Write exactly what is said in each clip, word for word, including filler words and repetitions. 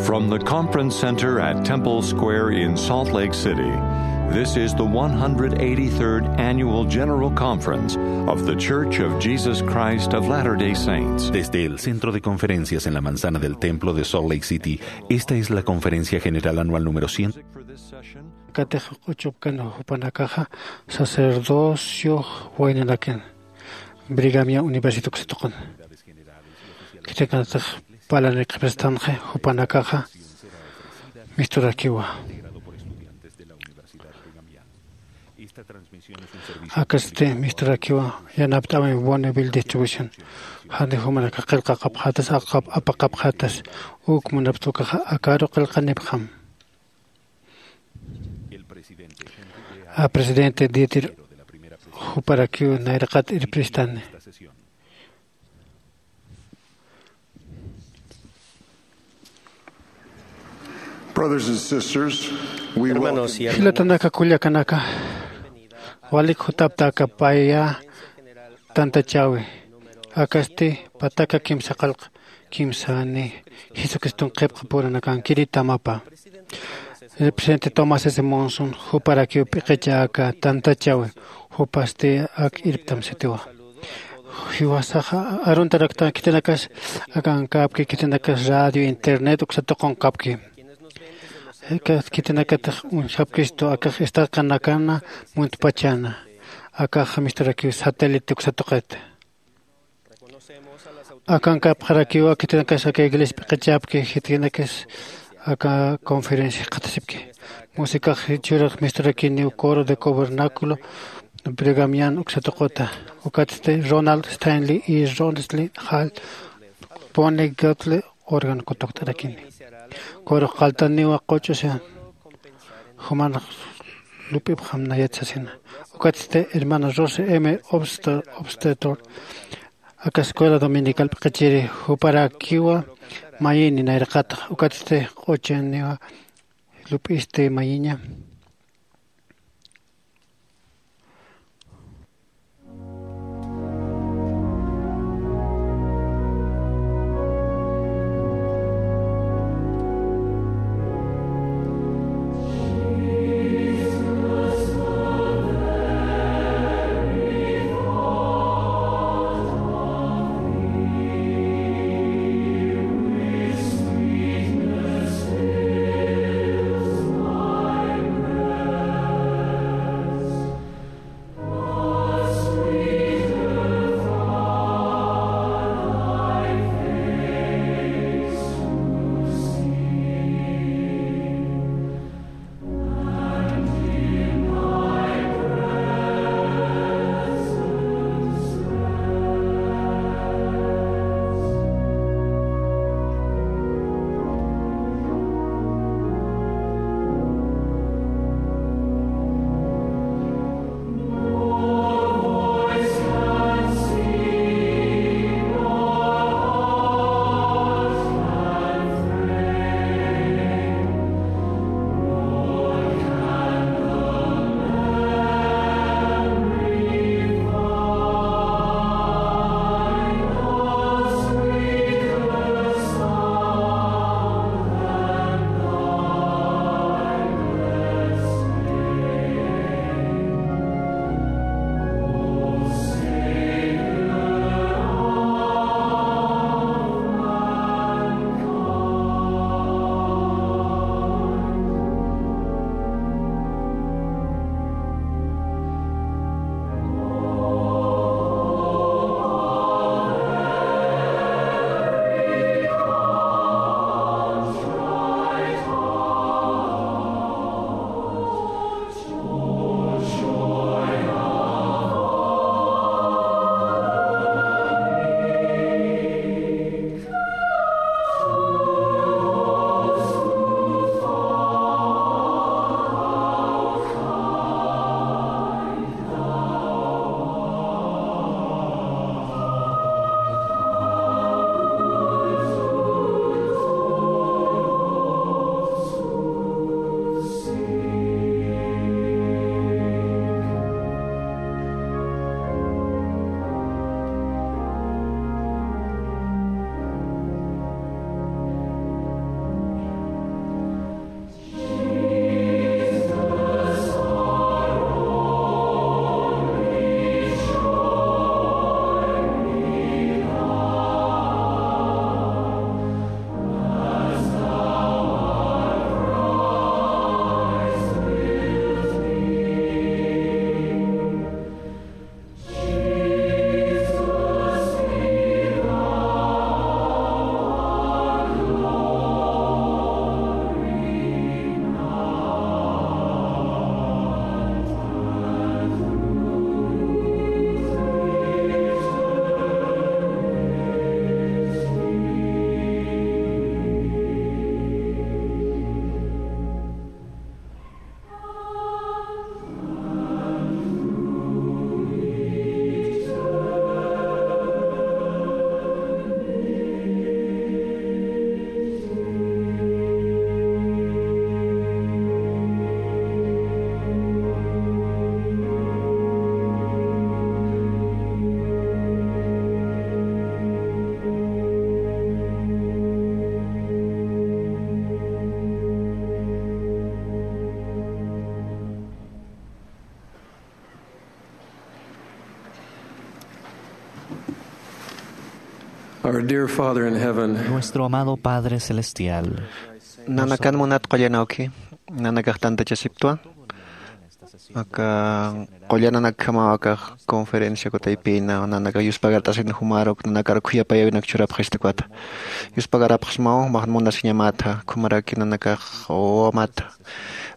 From the Conference Center at Temple Square in Salt Lake City, this is the one hundred eighty-third Annual General Conference of The Church of Jesus Christ of Latter-day Saints. Desde el Centro de Conferencias en la Manzana del Templo de Salt Lake City, esta es la Conferencia General Anual número cien. Katix q'uchupkan jupanakaxa sacerdocio waynanakin Brigham Young University uksatuqun. Khitinakatix parlani qhipistanxi jupanakaxa misturakiwa. Akasti misturakiwa yanapt'awi Bonneville Distribution. Jani jumanakax qillqaqapxatas, aqap-, apaqapxatas, uk munapxta ukaxa akaru qillqanipxam. A presidente Dieter juparakiw nayraqat irpiristani. Brothers and sisters, we Hermanos y welcome hermanas. Jilatanaka kullakanaka, walik jutaptaka paya tantachawi. Akasti pataka kimsa qillqa kimsani Jesucriston qhipqa puranakan kiri tamapa. El presidente Thomas S. Monson juparakiw p'iqicha aka tantachawi, jupasti ak irptam sitiwa. Jiwasaxa aruntarakta khitinakas akankapki, khitinakas radio, internet uksatuqunqapki. Aka khitinakatix uñjapkistu akax estaqanakana muntpachana. Akax misturakiw satélite uksatuqit. Akankapxarakiwa khitinakas aka iglesia p'iqichapki, khitinakas aka conferencia jikxatasipki. Músicax jichhürux misturakiniw coro de cobernáculo Brigham Young uksatuquta. Ukatsti Ronald Stanley y Ronsley Hall, Bonnie Godley órgano kutukt'arakini. Coro qalltaniwa quch'usa juman lup'ipxam nayat sasina. Ukatsti hermana Rose M. Obster-, Obstetor, aka escuela dominical p'iqichiri juparakiwa mayini nayraqatax. Ukatsti q'uchaniwa lup'isti mayiña. Our dear Father in heaven, Nuestro amado Padre Celestial, nanakan munat qullanawki, nanakax tantachasiptwa. Aka qullananakjamaw aka conferencia kutaypina, nanakax yuspagart'asin jumaruk, nanakar khuyapayäwinak churapxista ukat. Yuspagarapxsmaw, jumax munasiñamätha, jumaraki nanakax wawamat,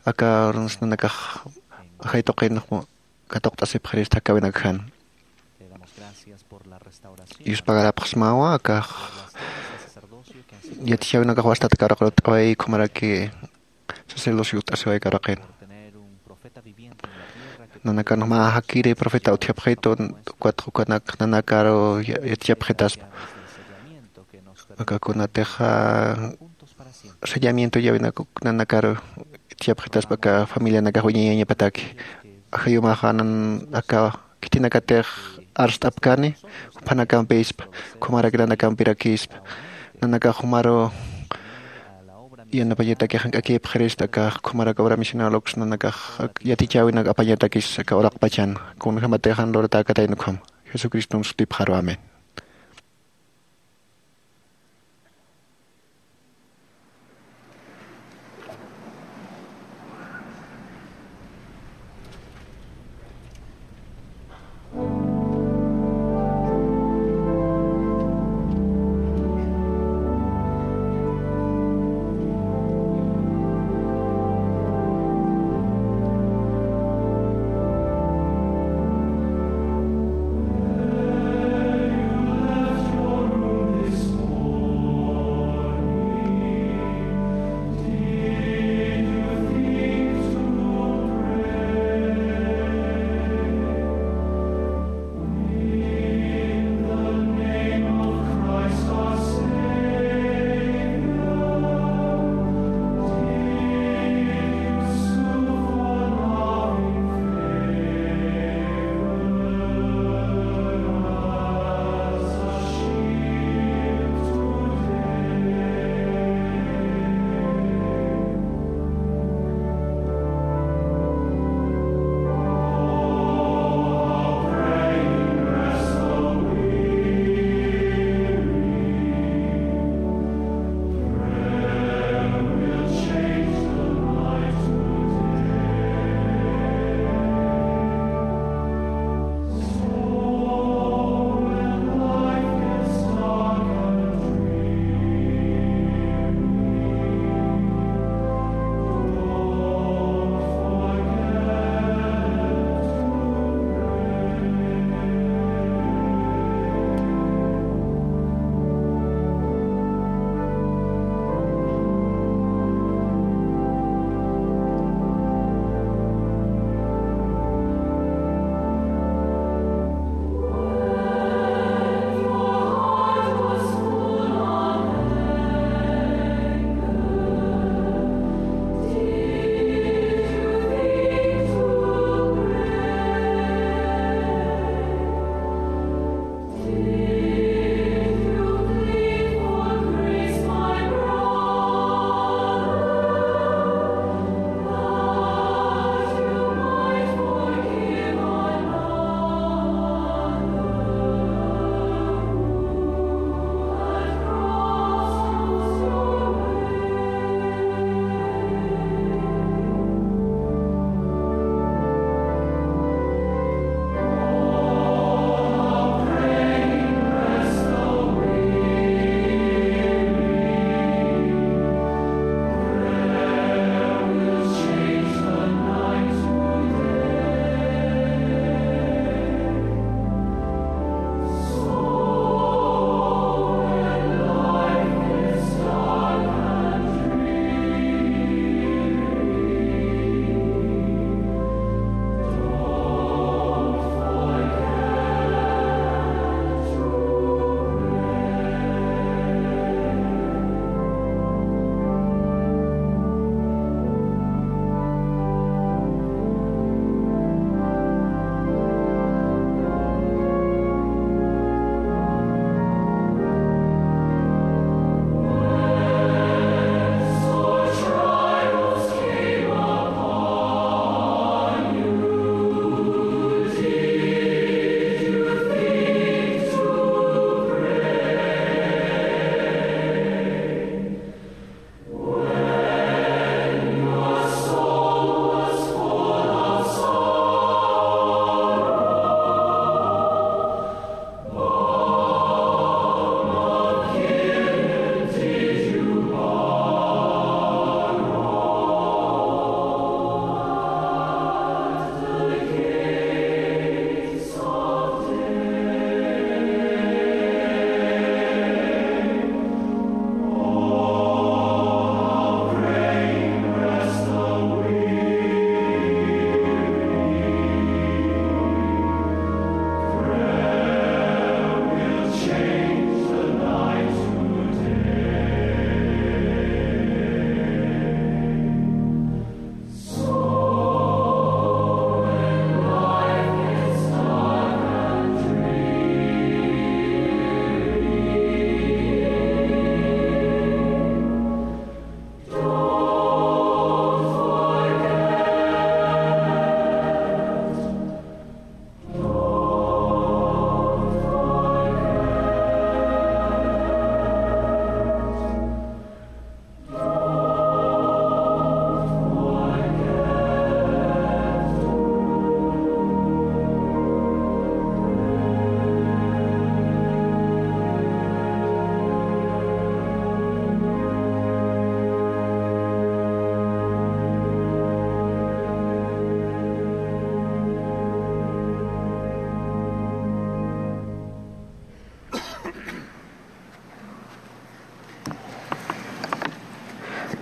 aka urunsa nanakax ajay tuqin katuqt'asipxirista jakäwinakjan. Yuspagarapxsmawa, akax yatichäwinakax wastat karqarutt'away, jumaraki sacerdocio ut'asiway karqin. Nanakan mä jakiri profeta utjapxitu, ukat ukanak nanakaru ya-, yatichapxitaspa. Aka kunatixa sellamiento yawinakuk nanakaru yatichapxitaspa aka familianakax wiñayañapataki. Ajayumaxa nan aka khitinakatix arst'apkani, jupanakampispa, jumarak nanakampirakispa. Nanakax jumaru yanapañataki jank'akipxirista, aka jumarak obra misional uks nanakax yatichäwinak apañatakis aka uraqpachan. Kunjamatix jan luratäkatayna ukham. Jesucristom sutipxaru. Amén.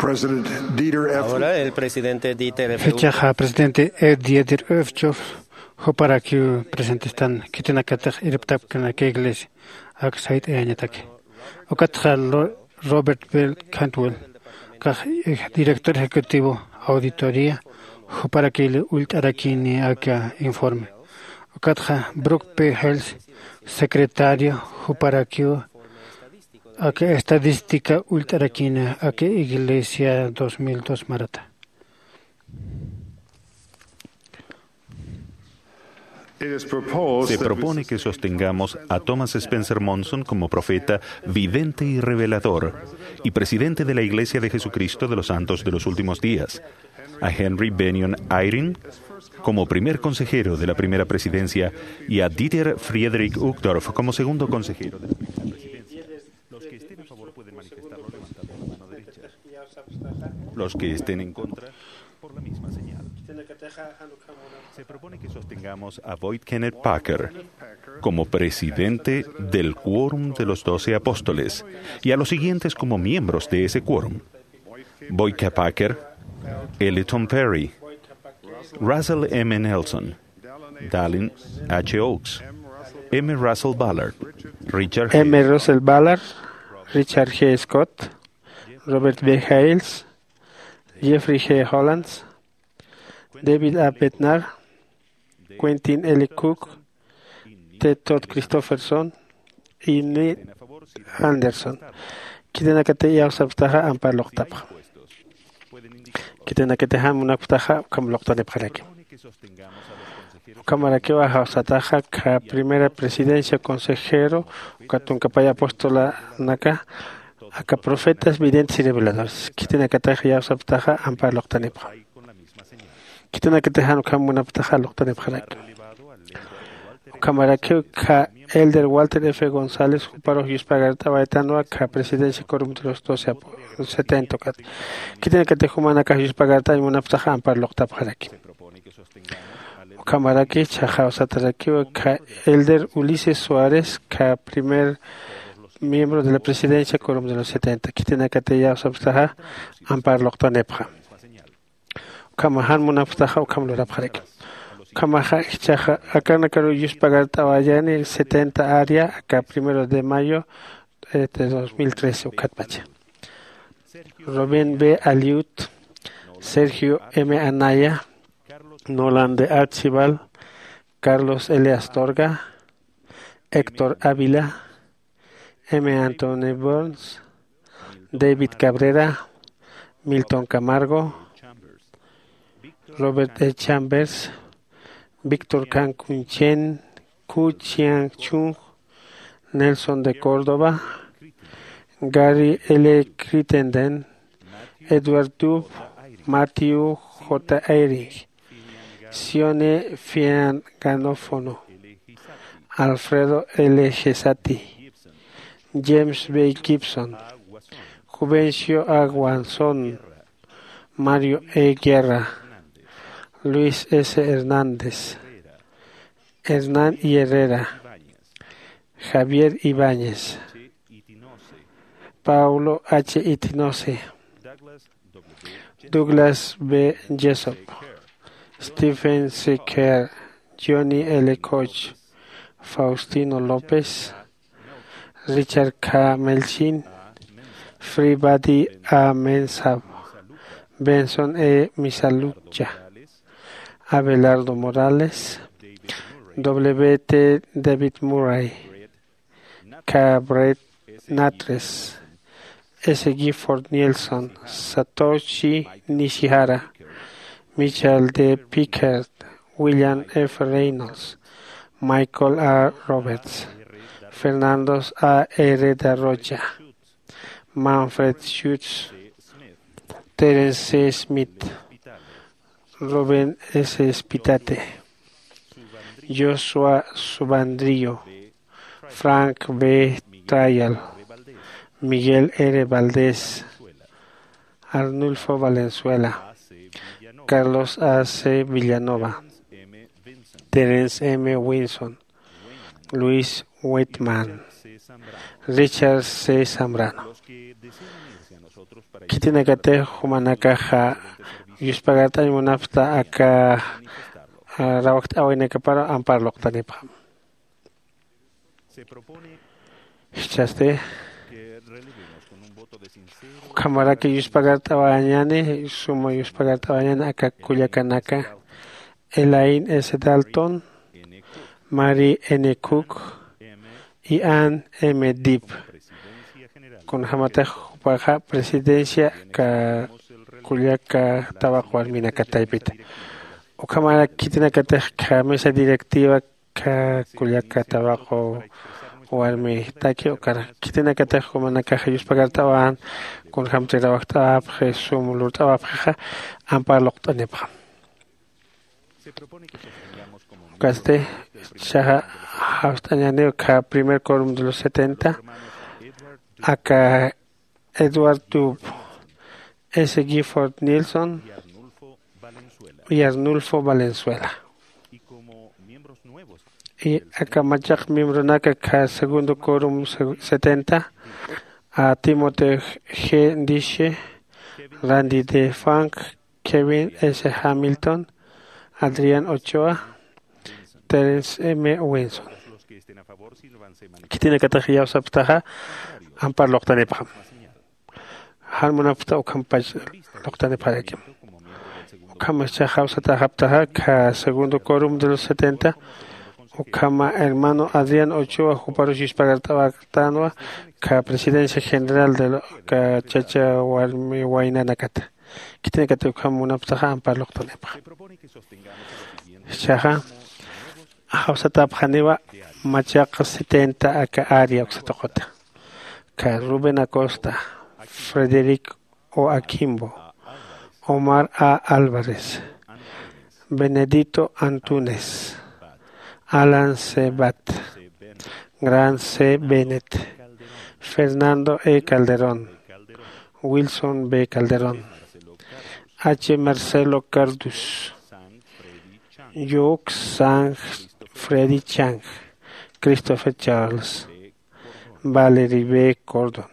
President Dieter F. Ahora el presidente Dieter F. Jichhaxa presidente E. Dieter F. Juparakiw presentestan khitinakatix irptapkana aka iglesia ak sayt'ayañataki. Ukatxa Lo- Robert Bell Cantwell, kax director ejecutivo auditoría, juparakili ullt'arakini aka informe. Ukatxa Brooke P. Hales, secretario, juparakiw aka estadística ullt'arakini aka iglesia dos mil dos marata. Se propone que sostengamos a Thomas Spencer Monson como profeta, vidente y revelador, y presidente de la Iglesia de Jesucristo de los Santos de los Últimos Días, a Henry Bennion Eyring como primer consejero de la primera presidencia y a Dieter Friedrich Uchtdorf como segundo consejero de la primera presidencia. Los que estén a favor pueden manifestarlo levantando la mano derecha. Los que estén en contra, por la misma señal. Se propone que sostengamos a Boyd Kenneth Packer como presidente del Quórum de los Doce Apóstoles y a los siguientes como miembros de ese quórum: Boyd K. Packer, L. Tom Perry, Russell M. Nelson, Dallin H. Oaks, M. Russell Ballard, Richard M. Russell Ballard, Richard G. Scott, Robert B. Hales, Jeffrey G. Holland, David A. Bednar, Quentin L. Cook, T. Todd Christofferson, y Neil Andersen. Khitinakatix iyawsapxtaxa ampar luqtapxam. Khitinakatix jan munapxtaxa ukham luqtanipxaraki. Ukhamarakiwa jawsataxa aka primera presidencia consejero, uka tunka pay apostolanaka, aka profetas, videntes y reveladores. Khitinakatix iyawsapxtaxa ampar luqtanipxam. Khitinakatix jan ukham munapxtaxa luqtanipxaraki. Ukhamarakiw aka Elder Walter F. González, juparux yuspagart'awaytanwa aka presidencia quórum de los doce apo- setenta ukat. Khitinakatix jumanakax yuspagart'añ munapxtaxa ampar luqtapxaraki. Ukhamaraki jichhax jawsatarakiw aka Elder Ulises Suárez, aka primer miembro de la presidencia quórum de los setenta. Khitinakatix iyawsapxtaxa ampar luqtanipxam. Ukhama jan munapxtaxa ukham lurapxaraki. Ukhamaxa jichhaxa akanakaru yuspagart'awayani setenta área aka primero de mayo, eh, de dos mil trece ukatpacha. Rubén B. Aliut, Sergio M. Anaya, Nolan de Archibald, Carlos L. Astorga, Héctor Ávila, M. Anthony Burns, David Cabrera, Milton Camargo, Robert E. Chambers, Víctor Kankunchen, Ku Chiang Chung, Nelson de Córdoba, Gary L. Crittenden, Edward Dube, Matthew J. Eyring, Sione Fian Ganofono, Alfredo L. Gesati, James B. Gibson, Juvencio A. Guanzón, Mario E. Guerra, Luis S. Hernández, Hernán I. Herrera, Javier Ibáñez, Paulo H. Itinose, Douglas B. Jessop, Stephen C. Kerr, Johnny L. Koch, Faustino López, Richard K. Melchin, Fribadi A. Mensah, Benson E. Misalucha, Abelardo Morales, W. T. David Murray, K. Brett Natres, S. Gifford Nielsen, Satoshi Nishihara, Michael D. Pickard, William F. Reynolds, Michael A. Roberts, Fernando A. Herrera Rocha, Manfred Schutz, Terence C. Smith, Rubén S. Spitate, Joshua Subandrio, Frank B. Trial, Miguel R. Valdés, Arnulfo Valenzuela, Carlos A. C. Villanova, Terence M. Winson, Luis Whitman, Richard C. Zambrano. Khitinakatix jumanakaxa yuspagart'añ munapxta aka rawakt'awaynakaparu ampar luqtanipxam. Jichhasti ukhamaraki yuspagart'awañäni, suma yuspagart'awañäni aka kullakanaka, Elaine S Dalton, Mary N Cook, y Ann M Dibb. Kunjämatix jupaxa presidencia aka kullaka tawaqu warminaka taypita. Ukhamarak khitinakatix kha mesa directiva kha kullaka tawaqu warmitaki ukar khitinakatix jumanakaxa yuspagart'awan, kunjämti rawajt'awapxi sum lurt'awapxixa ampar luqt'anipxam. Ukasti chaxa jawst'añäniw kha primer quorum de los setenta, aka Edward Dub, S Gifford Nielson y Arnulfo Valenzuela. Y aka machaq miembronaka kha segundo quorum setenta, a Timothy G Diche, Randy D Funk, Kevin S Hamilton, Adrián Ochoa, Terence M Winson. Khitinakatix iyawsapxtaxa ampar luqtanipxam. Jan munapxta ukhampach luqtanipxarakim. Ukham chaxa jawsatäxapxtaxa kha segundo quorum de los setenta, ukhama hermano Adrián Ochoa juparus yuspagart'awaktanwa kha presidencia general de kha chacha warmi waynanakata. Khitinakatix ukham munapxtaxa ampar luqtanipxam. Jichhaxa jawsatäpxaniwa machaq setenta aka área uksa tuquta. Kha Rubén Acosta, Frederick O Akimbo, Omar A Álvarez, Benedito Antunes, Alan C Bat, Grant C Bennett, Fernando E Calderón, Wilson B Calderón, H Marcelo Cardus, Yuk Sang Freddy Chang, Christopher Charles, Valerie B Gordon,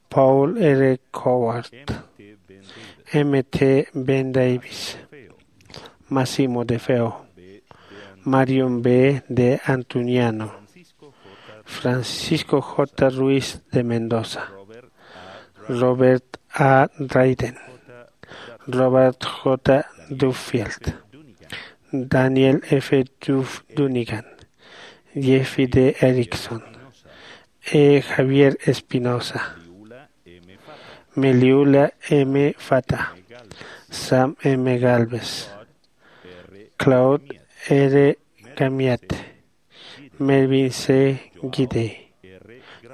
Paul R Coward, M T Ben Davis, Massimo De Feo, Marion B de Antuniano, Francisco J Ruiz de Mendoza, Robert A Dryden, Robert J Duffield, Daniel F Duf Dunigan, Jeffy D Erickson, E Javier Espinosa, Meliula M Fata, Sam M Galvez, Claude R Gamiat, Melvin C Guide,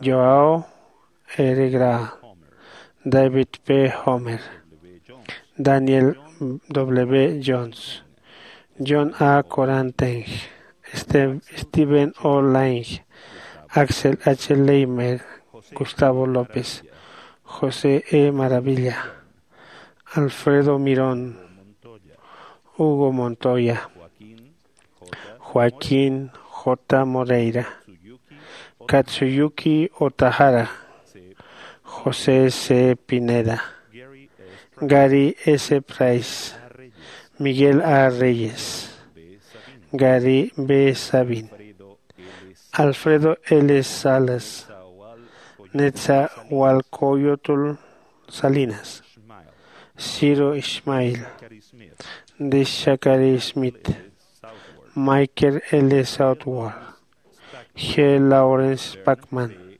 Joao R Grau, David P Homer, Daniel W Jones, John A Koranteng, Steven O Lange, Axel H Leimer, Gustavo López, José E Maravilla, Alfredo Mirón, Hugo Montoya, Joaquín J Moreira, Katsuyuki Otahara, José C Pineda, Gary S Price, Miguel A Reyes, Gary B Sabin, Alfredo L Salas, Netzahualcoyotl Salinas, Ciro Ismail, Deshakari Smith, Michael L Southworth, G Lawrence Pacman,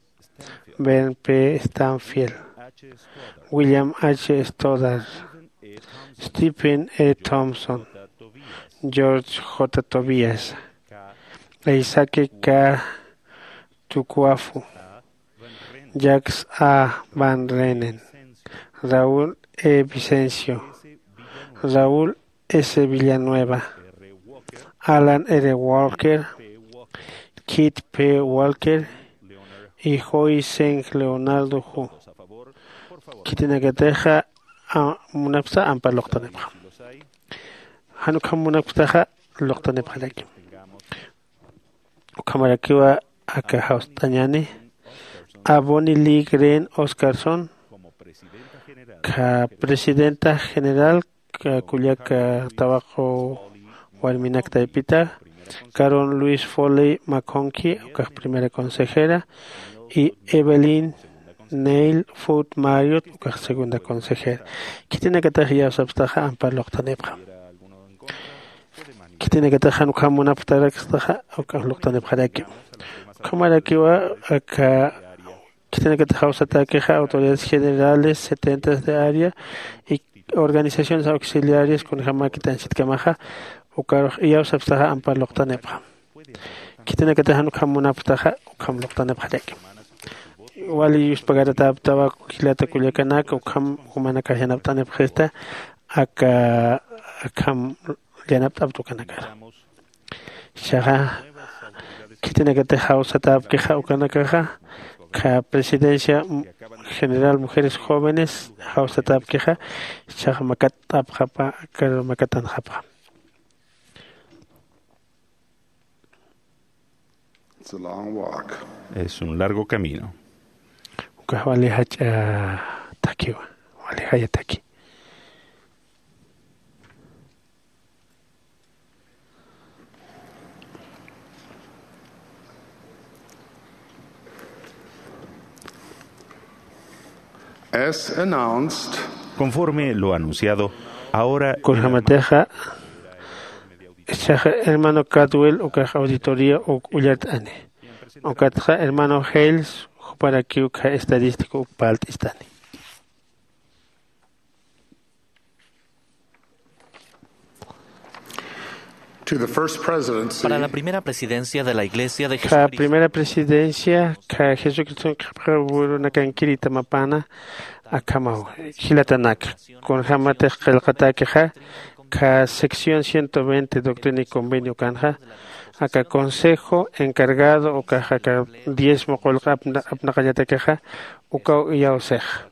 Vern P Stanfield, William H Stoddard, Stephen E Thompson, George J Tobias, Isaac K Tukuafu, Jacques A Van Renen, Raúl E Vicencio, Raúl S Villanueva, Alan R Walker, Keith P Walker y Joy Seng Leonardo Hu. Khitinakatixa munapxta ampar luqtanipxam. Jan ukham munapxtaxa luqtanipxarakim. Ukhamarakiwa aka jawst'añäni, a Bonnie Lee Green Oscarson, akha presidenta general, kullaka tawaqu warminak taypita, Carol Luis Foley McConkie, ukax primera consejera, y Evelyn Neil Foot Marriott, ukax segunda consejera. Khitinakatax iyawsapstaxa ampar luqtanipxam. Khitinakatax jan ukham munapxtarakstaxa, ukax luqtanipxaraki. Ukhamarakiwa aka khitinakatix jawsatäkixa autoridades generales, setentas de área y organizaciones auxiliares kunjämakit ansitkamaxa, ukarux iyawsapstaxa ampar luqtanipxam. Khitinakatix jan ukham munapxtaxa, ukham luqtanipxaraki. Wali yuspagaratäptawa jilata kullakanaka, ukham jumanakax yanapt'anipxista, aka, akham yanapt'apta ukanakar. Jichhaxa khitinakatix jawsatäpkixa ukanakaxa, kha Presidencia General Mujeres Jóvenes jawsatäpkixa, jichhaxa makatt'apxapa, kar makatanxapxa. It's a long walk. Es un largo camino. Ukax wali jach'a thakiwa, wali jaya thaki. As announced, conforme lo anunciado, ahora kunjamatixa, jichhaxa hermano Cadwell ukax auditoría uk ullart'ani. Ukatxa hermano Hales, juparakiw kha estadístico uk parlt'istani. To the first presidency. Para la primera presidencia de la Iglesia de Kha Jesucristo. Primera presidencia kha Jesucriston qhipxarunakankiritamapäna akhamaw jilatanaka. Kunjämatix qillqatäkixa kha sección ciento veinte Doctrina y Convenio ukanxa, aka consejo encargado ukax aka diezmo qullqi apna-, apnaqañatakixa, ukaw iyawsixa.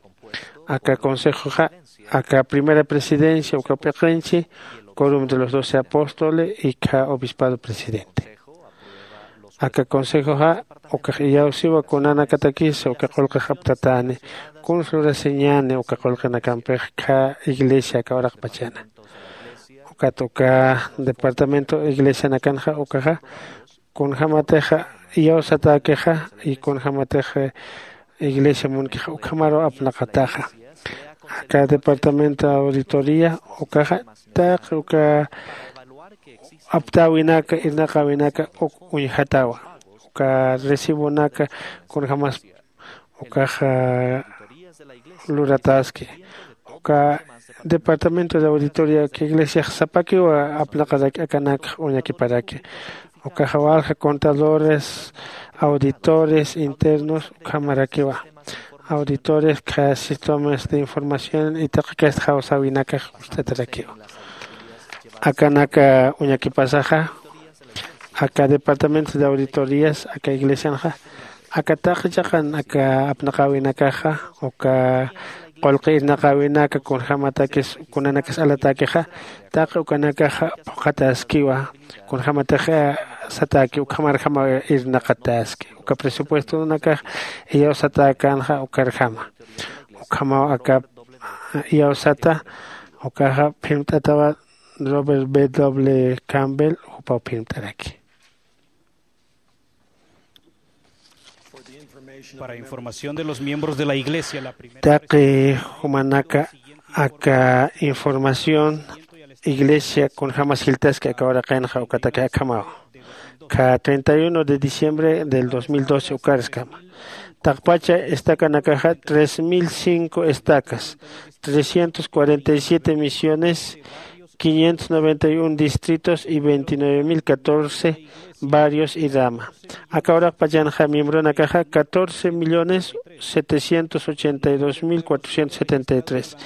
Aka consejoxa, aka primera presidencia uka p'iqinchi, quórum de los doce apóstoles y kha obispado presidente. Aka consejoxa, ukax iyawsiwa kunanakatakisa uka qullqix aptatäni, kuns lurasiñäni uka qullqinakampix kha iglesia aka uraqpachana. Ukat uka departamento iglesianakanxa, ukaxa kunjämatixa iyawsatäkixa y kunjämatixa iglesia munkixa ukhamaru apnaqataxa. Aka departamento auditoría ukaxa taqi uka aptäwinaka, irnaqäwinaka uk uñjatawa. Uka recibonaka kunjämas ukaxa lurataski. Uka departamento de auditoría uk iglesiax sapakiwa apnaqaraki akanakxa uñakiparaki. Ukaxa walja contadores, auditores internos ukhamarakiwa. Auditores kha sistemas de información y taqi kasta jawsäwinakax ucht'atarakiwa. Akanaka uñakipasaxa, aka departamento de auditorías aka iglesianxa, aka taqi chiqan aka apnaqäwinakaxa, uka qullqi irnaqäwinaka kunjämatakis kunanakas alatäkixa, taqi ukanakaxa phuqhatäskiwa, kunjämatix satäki ukhamarjama irnaqatäski. Uka presupuestonakax iyawsatäkänxa ukarjama. Ukhamaw aka iyawsata, ukaxa phirmt'atawa Robert B W Campbell, jupaw phirmt'araki. Para información de los miembros de la iglesia, la primera... Taqi jumanaka aka información iglesia kunjämas jiltaski aka uraqinxa ukataki akhamaw. Kha treinta y uno de diciembre del dos mil doce ukarskama. Taqpacha estacanakaxa tres mil cinco estacas, trescientos cuarenta y siete misiones, quinientos noventa y un distritos y veintinueve mil catorce barrios y rama. Aka uraqpachanxa miembronakaxa catorce millones setecientos ochenta y dos mil cuatrocientos setenta y tres.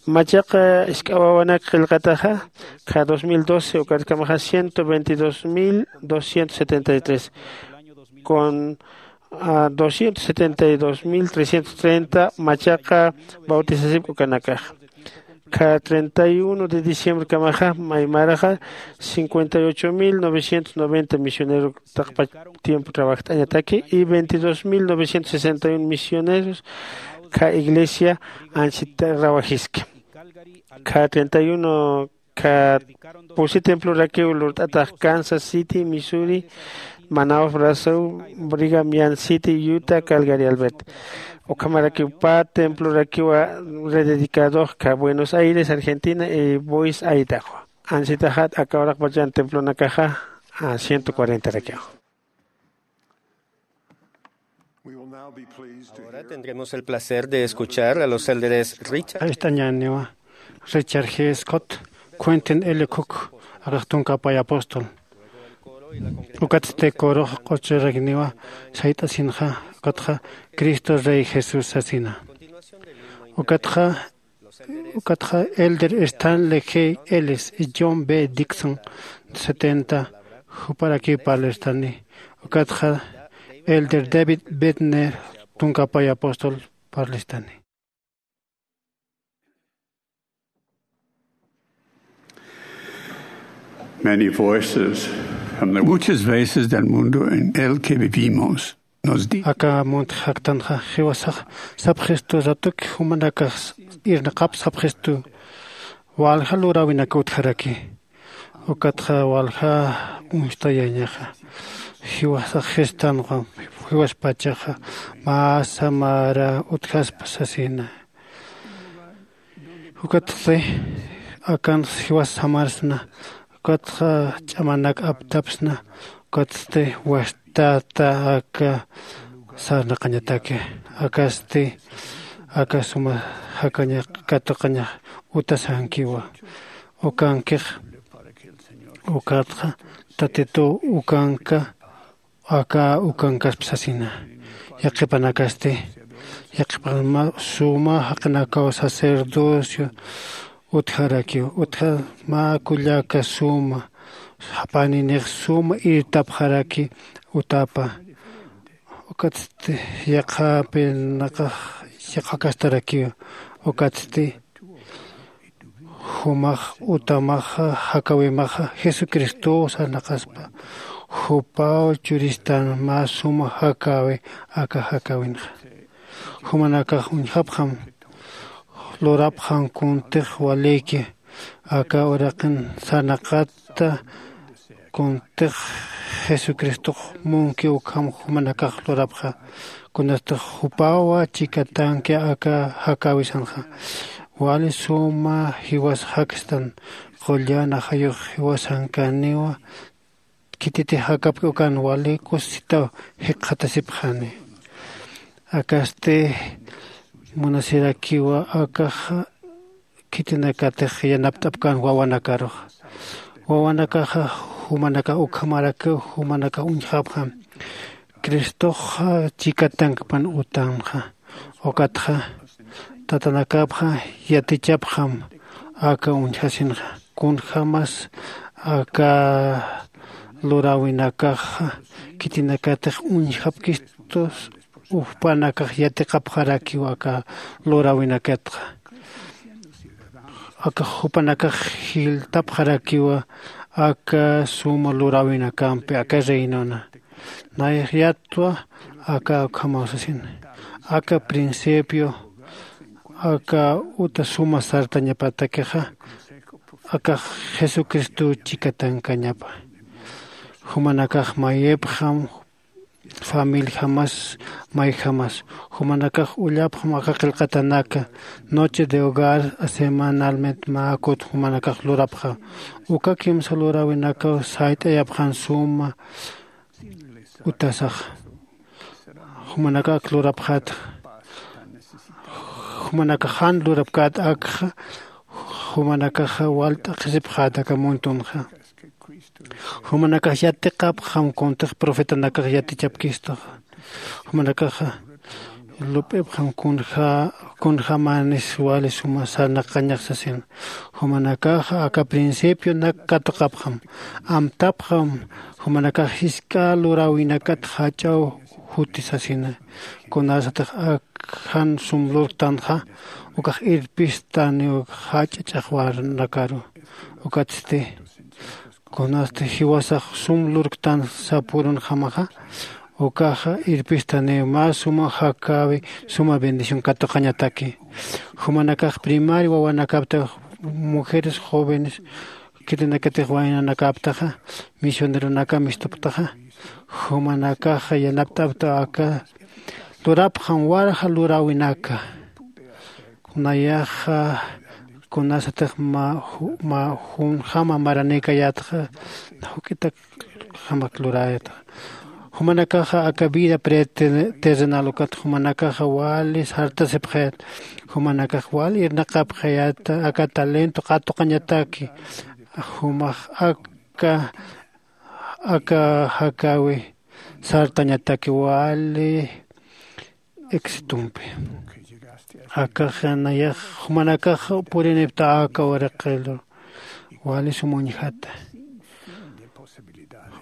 Machaqa jisk'a wawanak qillqataxa, kha dos mil doce ukarkamaxa ciento veintidós mil doscientos setenta y tres, con a doscientos setenta y dos mil trescientos treinta machaqa bautizasipki ukanakaxa. Kha treinta y uno de diciembre kamaxa maymaraxa cincuenta y ocho mil novecientos noventa misioneros taqpa tiempo trabajt'añataki y veintidós mil novecientos sesenta y uno misioneros Kha iglesia anchita rawajiski. Kha treinta y uno kha pusi templorakiw lurt'atax Kansas City, Missouri, Manaus, Brasil, Brigham Young City, Utah, Calgary, Albert. Ukhamarakiw pä templorakiwa rededicadox kha Buenos Aires, Argentina, y Boise, Idaho. Ansitaxat aka uraqpachan templonakaxa ciento cuarenta rakiwa. Ahora tendremos el placer de escuchar a los élderes Richard. Astañaniwa Richard G. Scott, Quentin L. Cook, akax tunka pay apóstol. Ukatsti corox q'uchuragniwa sayt'asinxa, ukatxa Cristo Rey Jesús sasina. Ukatxa ukatxa elder Stanley G. Ellis y John B. Dixon, setenta, juparakiw parlistani. Ukatxa elder David Bednar, tunka pay apóstol, parlistani. Many voices from the muchas veces del mundo en el que vivimos nos di aka munt jaktanxa jiwasax sapxistu, ratuki jumanakax irnaqap sapxistu. Walja luräwinaka utjaraki, ukatxa walja uñstayañaxa. Jiwasax jistanxa, jiwaspachaxa mä samara utjaspa sasina. Ukatsti akanx jiwas samarsna, ukatxa ch'amanak aptapsna, ukatsti wastata aka sarnaqañataki. Akasti aka suma jakañax katuqañax utasankiwa. Ukankix ukatxa Tatituw ukanka aka ukankasp sasina. Yaqhipanakasti, yaqhipan mä suma jaqinakaw sacerdocio utjarakiw, utja mä kullaka suma, japaninix suma irtapxaraki utapa. Ukatsti yaqhapinaqax yaqhakastarakiw, ukatsti jumax utamaxa jakäwimaxa Jesucristow sarnaqaspa. Jupaw churistan mä suma jakäwi aka jakäwinxa. Jumanakax uñjapxam, lurapxam kuntix walïki aka uraqin sarnaqata, kuntix Jesucristox munki ukham jumanakax lurapxa. Kunatix jupawa chikatanki aka jakäwisanxa. Wali suma jiwas jakstan, qullan ajayux jiwasankaniwa, khititix jakapki ukan wali kusisitaw jikxatasipxani. Akasti munasirakiwa akaxa khitinakatix yanapt'apkan wawanakaruxa. Wawanakaxa jumanakax ukhamarakiw, jumanakax uñjapxam. Cristoxa chikatankpan utanxa. Ukatxa tatanakapxa yatichapxam aka uñjasinxa. Kunjämas aka luräwinakaxa khitinakatix uñjapkistus, jupanakax yatiqapxarakiw aka luräwinakatxa. Aka jupanakax jiltapxarakiwa aka suma luräwinakampi aka reinona. Nayax yatwa aka ukhamaw sasin. Aka principio aka uta suma sartañapatakixa, akax Jesucristow chikatankañapa. Jumanakax mayipxam, familijamas, mayjamas. Jumanakax ullapxam aka qillqatanaka, noche de hogar, semanalmente mä kut jumanakax lurapxa. Uka kimsa luräwinakaw sayt'ayapxan suma utasaxa. Jumanakax ak lurapxäta. Jumanakax jan lurapkäta akxa, jumanakaxa wal t'aqhisipxäta aka muntunxa. Jumanakax yatiqapxam kuntix profetanakax yatichapkistuxa. Jumanakaxa lup'ipxam kunja, kunjämanis wali suma sarnaqañax sasin. Jumanakaxa aka principionak katuqapxam. Amtapxam jumanakax jisk'a luräwinakat jach'aw juti sasina. Kunasatix ak jan sum lurktanxa, ukax irpistaniw jach'a ch'axwanakaru. Ukatsti kunasti jiwasax sum lurktan sapürunjamaxa, Ukaxa irpistaniw mä suma jakäwi suma bendición katuqañataki. Jumanakax primaria wawanakapta, mujeres jóvenes khitinakatix waynanakaptaxa, misioneronaka mistuptaxa, jumanakaxa yanapt'apta aka lurapxam walja luräwinaka. Nayaxa kunasatix mä junjama maranïkayätxa, juk'itakjamak luräyätxa. Jumanakaxa aka vida preterrenal ukat jumanakaxa wali sartasipxayät. Jumanakax wali irnaqapxayät aka talento qatuqañataki. Jumax aka aka jakäwi sartañataki wali exitumpi. Akaxa nayax jumanakax purinipta aka waraqilu wali sum uñjata.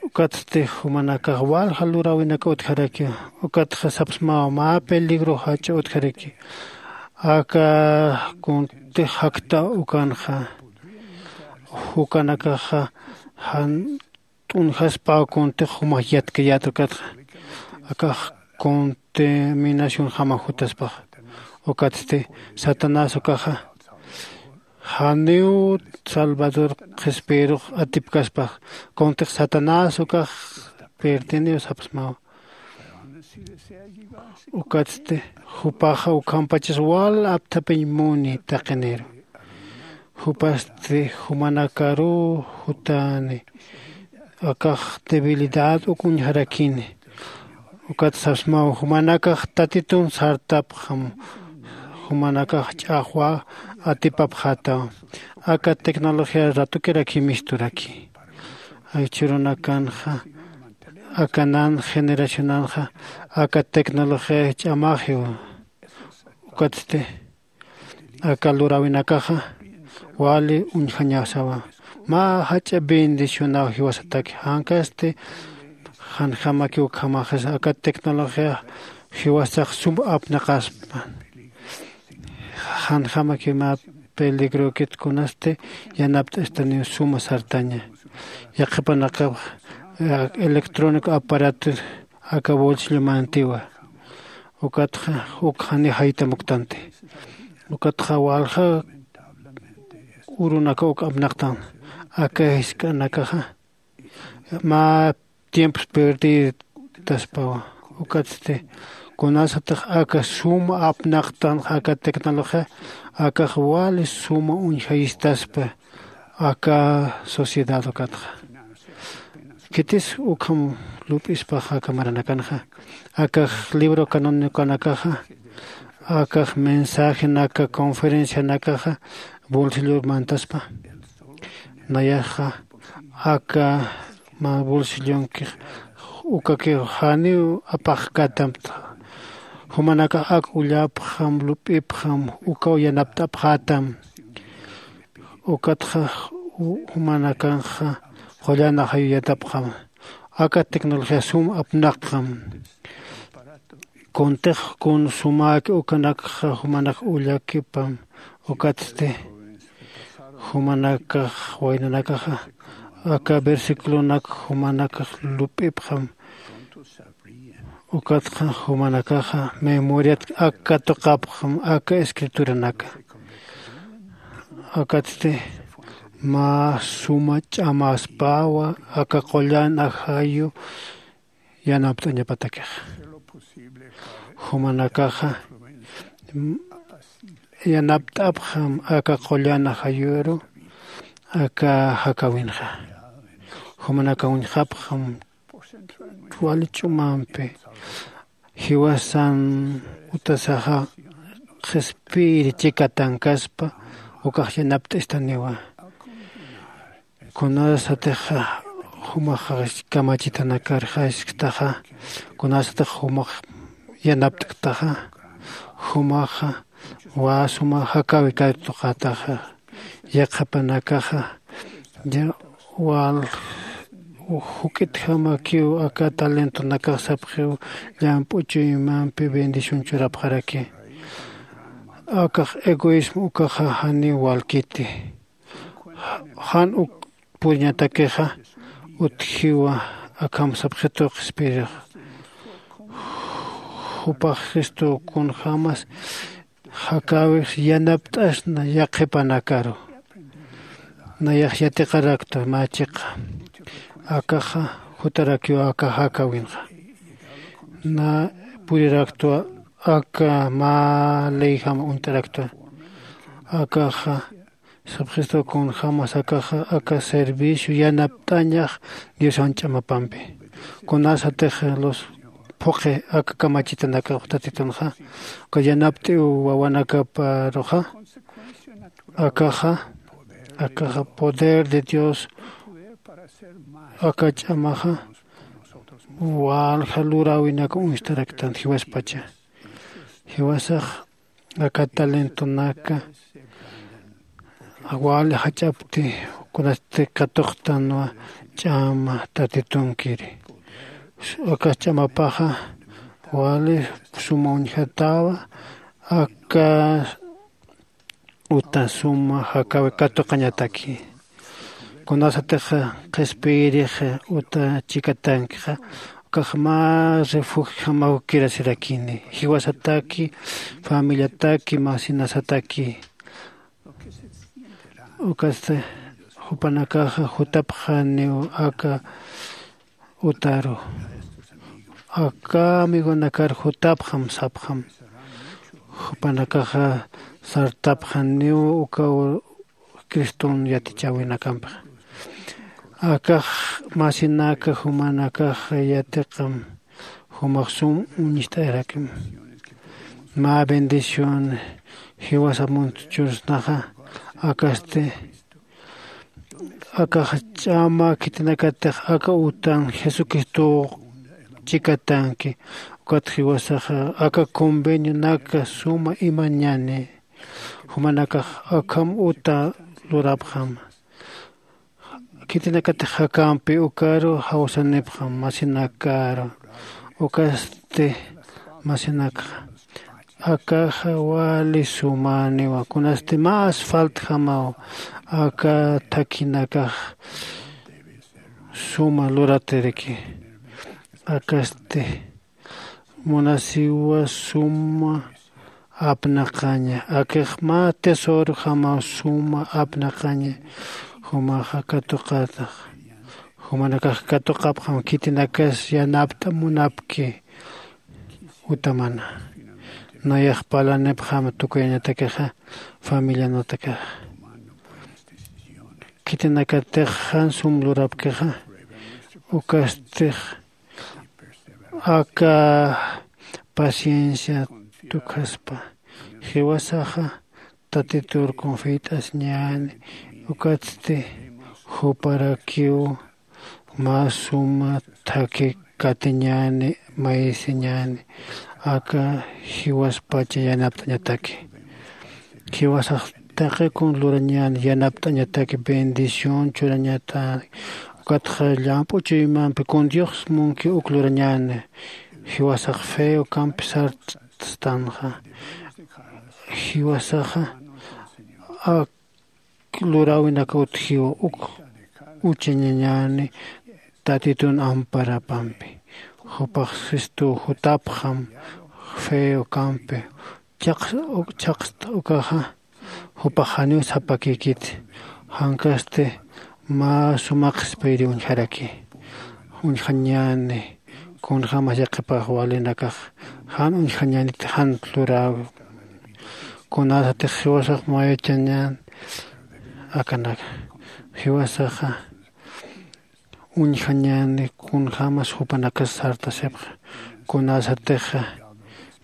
Ukatsti jumanakax walja luräwinaka utjaraki. Ukatxa sapsmawa mä peligro jach'a utjaraki. Aka kuntix jakta ukanxa jukanakaxa jan t'unjaspaw kuntix jumax yatkayät ukatxa. Akax contaminación jama jutaspax. Ukatsti satanás ukaxa janiw salvador qhispiyirux atipkaspax. Kuntix satanás ukax pirdiniw sapsmaw. Ukatsti jupaxa ukhampachas wal apthapiñ muni taqiniru. Jupasti jumanakaruw jutani. Akax debilidad uk uñjarakini. Ukat sapsmaw jumanakax tatitun sartapxam. Jumanakax ch'axwa atipapxätaw. Aka tecnología ratukirak jimisturaki. Jichhürunakanxa aka nan generacionanxa aka tecnología ch'amaxiw. Ukatsti aka luräwinakaxa wali uñjañasawa. Mä jach'a bendicionaw jiwasataki jankasti janjamakiw ukhamaxisa aka tecnología jiwasax sum apnaqaspa. Janjamakiw mä peligrokit kunasti yanapt'astaniw suma sartaña. Yaqhipanakax electrónico aparato aka bolsillomantiwa. Ukatxa uk jani jaytamuktanti. Ukatxa walja urunaka uk apnaqtan. Aka jisk'anakaxa mä tiempos perditaspawa. Ukatsti kunasatix aka suma apnaqtan aka tecnología akax wali suma uñjayistaspa aka sociedad ukatxa. Khitis ukham lup'ispax aka maranakanxa akax libro canoniconakaxa akax mensajenaka conferencianakaxa bolsillomantaspa. Nayaxa aka mä bolsillonkix ukakiw janiw apaxkätamta. Jumanakax ak ullapxam lup'ipxam ukaw yanapt'apxätam. Ukatxa jumanakanxa qullan ajayu yatapxam. Aka tecnología sum apnaqxam. Kuntix kun sumäki ukanakxa jumanak ullakipam. Ukatsti jumanakax waynanakaxa aka versiculonak jumanakax lup'ipxam. Ukatxa jumanakaxa memoriat ak katuqapxam aka escrituranaka. Akatsti mä suma ch'amaspawa aka qullan ajayu yanapt'añapatakixa. Jumanakaxa yanapt'apxam aka qullan ajayuru aka jakäwinxa. Jumanakax uñjapxam wali ch'umampi jiwasan utasaxa qhispiyir chikatankaspa ukax yanapt'istaniwa. Kunasatixa jumax kamachitanakar jasktaxa kunasatix jumax yanapt'ktaxa jumaxa wä suma jakäwi katuqätaxa. Yaqhipanakaxa wal juk'itjamakiw aka talentonakax sapxiw llamp'u chuymampi bendición churapxaraki. Akax egoísmo ukaxa janiw walkiti. Jan uk puriñatakixa utjiwa akham sapxitu qhispiyirix. Jupax Cristo kunjämas jakäwix yanapt'asna yaqhipanakaru. Nayax yatiqaraktwa mä chiqa. Akaxa jutarakiw aka jakäwinxa. Na puriraktwa aka mä leyjam uñt'araktwa. Akaxa sap Cristo kunjämas akaxa aka servicio yanapt'añax Diosan ch'amapampi. Kunasatix lus phuqhi aka kamachitanakax Tatitunxa, uka yanapt'iw wawanakaparuxa, akaxa, akaxa poder de Dios, aka ch'amaxa walja luräwinak uñstaraktan jiwaspacha. Jiwasax aka talentonaka wali jach'apti, kunasti katuqtanwa ch'ama Tatitunkiri. Aka ch'amapaxa wali suma uñjatäwa, aka uta suma jakäwi katuqañataki. Kunasatix qhispiyirix uta chikatankixa, ukax mä refugiojamaw kirasirakini, jiwasataki, familiataki, masinasataki. Ukasti jupanakaxa jutapxaniw aka utaru. Aka amigonakar jutapxam sapxam. Jupanakaxa sartapxaniw uka Criston yatichäwinakampix. Akax masinaka jumanakax yatiqam, jumax sum uñst'ayarakim. Mä bendición jiwasa muntchursnaxa, akasti akax ch'ama khitinakatix aka utan Jesucristo chikatanki, ukat jiwasaxa aka convenionaka suma imañani, jumanakax akham uta lurapxam. Khitinakatix jakampi ukaru jawsanipxam masinakaru, ukasti masinakxa. Akaxa wali sumaniwa, kunasti más faltjamaw aka thakhinakax suma luratiriki. Akasti munasiwa suma apnaqaña, akix mä tesorojamaw suma apnaqaña, jumaxa katuqatax, jumanakax katuqapxam khitinakas yanapt'a munapki utamana. Nayax parlanipxam tukuyañatakixa familianatakixa. Khitinakatix jan sum lurapkixa, ukastix aka paciencia tukhaspa, jiwasaxa Tatitur confiat'asiñäni, ukatsti juparakiw mä suma thakhi katiñäni, mayisiñäni, aka jiwaspacha yanapt'añataki. Jiwasax taqi kun lurañäni, yanapt'añataki, bendición churañata, ukatxa llamp'u chuymampi kun Dios munki uk lurañäni, jiwasax feo kampi sartstanxa, jiwasaxa ak luräwinak utjiw uk uchañañäni Tatitun amparapampi. Jupax Cristo jutapxam feo kampi chhaqs-, chhaqsta ukaxa, jupax janiw sapakïkiti, jankasti mä suma qhispiyiri uñjaraki. Uñjañäni, kunjämas yaqhipax walinakax jan uñjañäniti, jan luräwi. Kunasatix jiwasax mayachañän akanak, jiwasaxa uñjañäni kunjämas jupanakas sartasipxa. Kunasatixa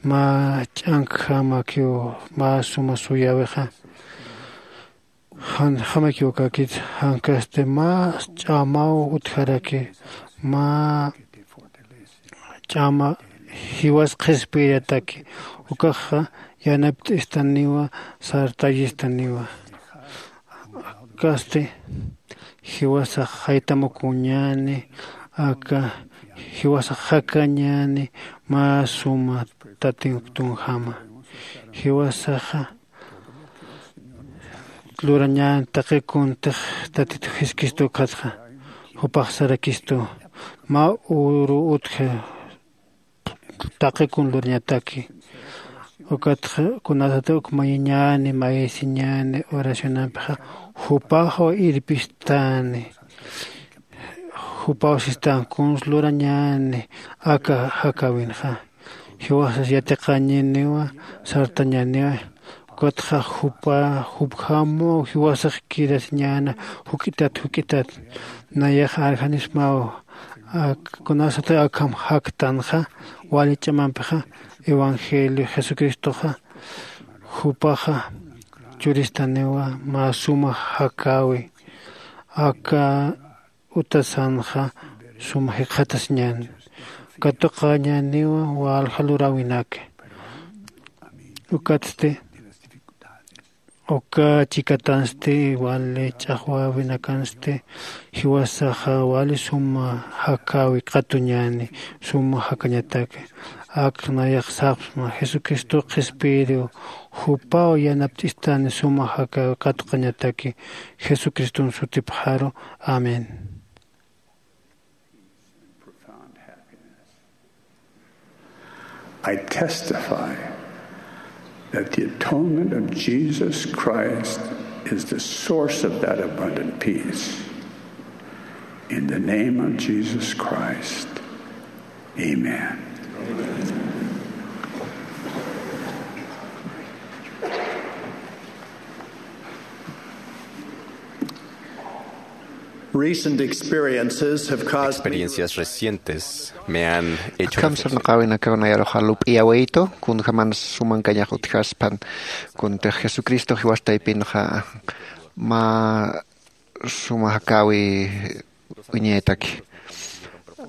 mä ch'ankjamakiw mä suma suyäwixa, jan jamakiw kakit, jankasti mä ch'amaw utjaraki, mä ch'ama jiwas qhispiyirataki, ukaxa yanapt'istaniwa, sartayistaniwa. Kasti jiwasax jaytamukuñäni, aka jiwasax jakañäni mä suma Tatit tunjama. Jiwasaxa lurañäni taqi kuntix Tatit Jesucristo ukatxa, jupax sarakistu: Mä uru utji taqi kun lurañataki. Ukatxa kunasati uk mayiñäni mayisiñäni oracionampixa jupaxwa irpistani. Jupaw sistan kuns lurañäni aka jakäwinxa. Jiwasas yatiqañiniwa sartañäniwa. Ukatxa jupa jupjamaw jiwasax kirasiñäna juk'itat juk'itat. Nayax arjanismaw kunasatay akham jaktanxa wali ch'amampixa evangelio jesucristoxa jupaxa churistaniwa mä suma jakäwi. Aka utasanxa suma jikxatasiñän katuqañäniwa walja luräwinaki. Ukatsti uka chikatansti wali ch'axwäwinakansti jiwasaxa wali suma jakäwi qatuñäni suma jakañataki. Ak nayax sapxsma jesucristo qhispiyiriw jupaw yanapt'istani suma jakäwi qatuqañataki jesucriston sutipxaru. Amén. I testify that the atonement of Jesus Christ is the source of that abundant peace. In the name of Jesus Christ, amen. Recent experiences have caused me to Experiencias recientes me han hecho akham reflexionar. Sarnaqäwinakaw nayaruxa lup'iyawaytu kunjaman sumankañax utjaspan kuntix jesucristo jiwas taypinxa mä suma jakäwi uñaytaki.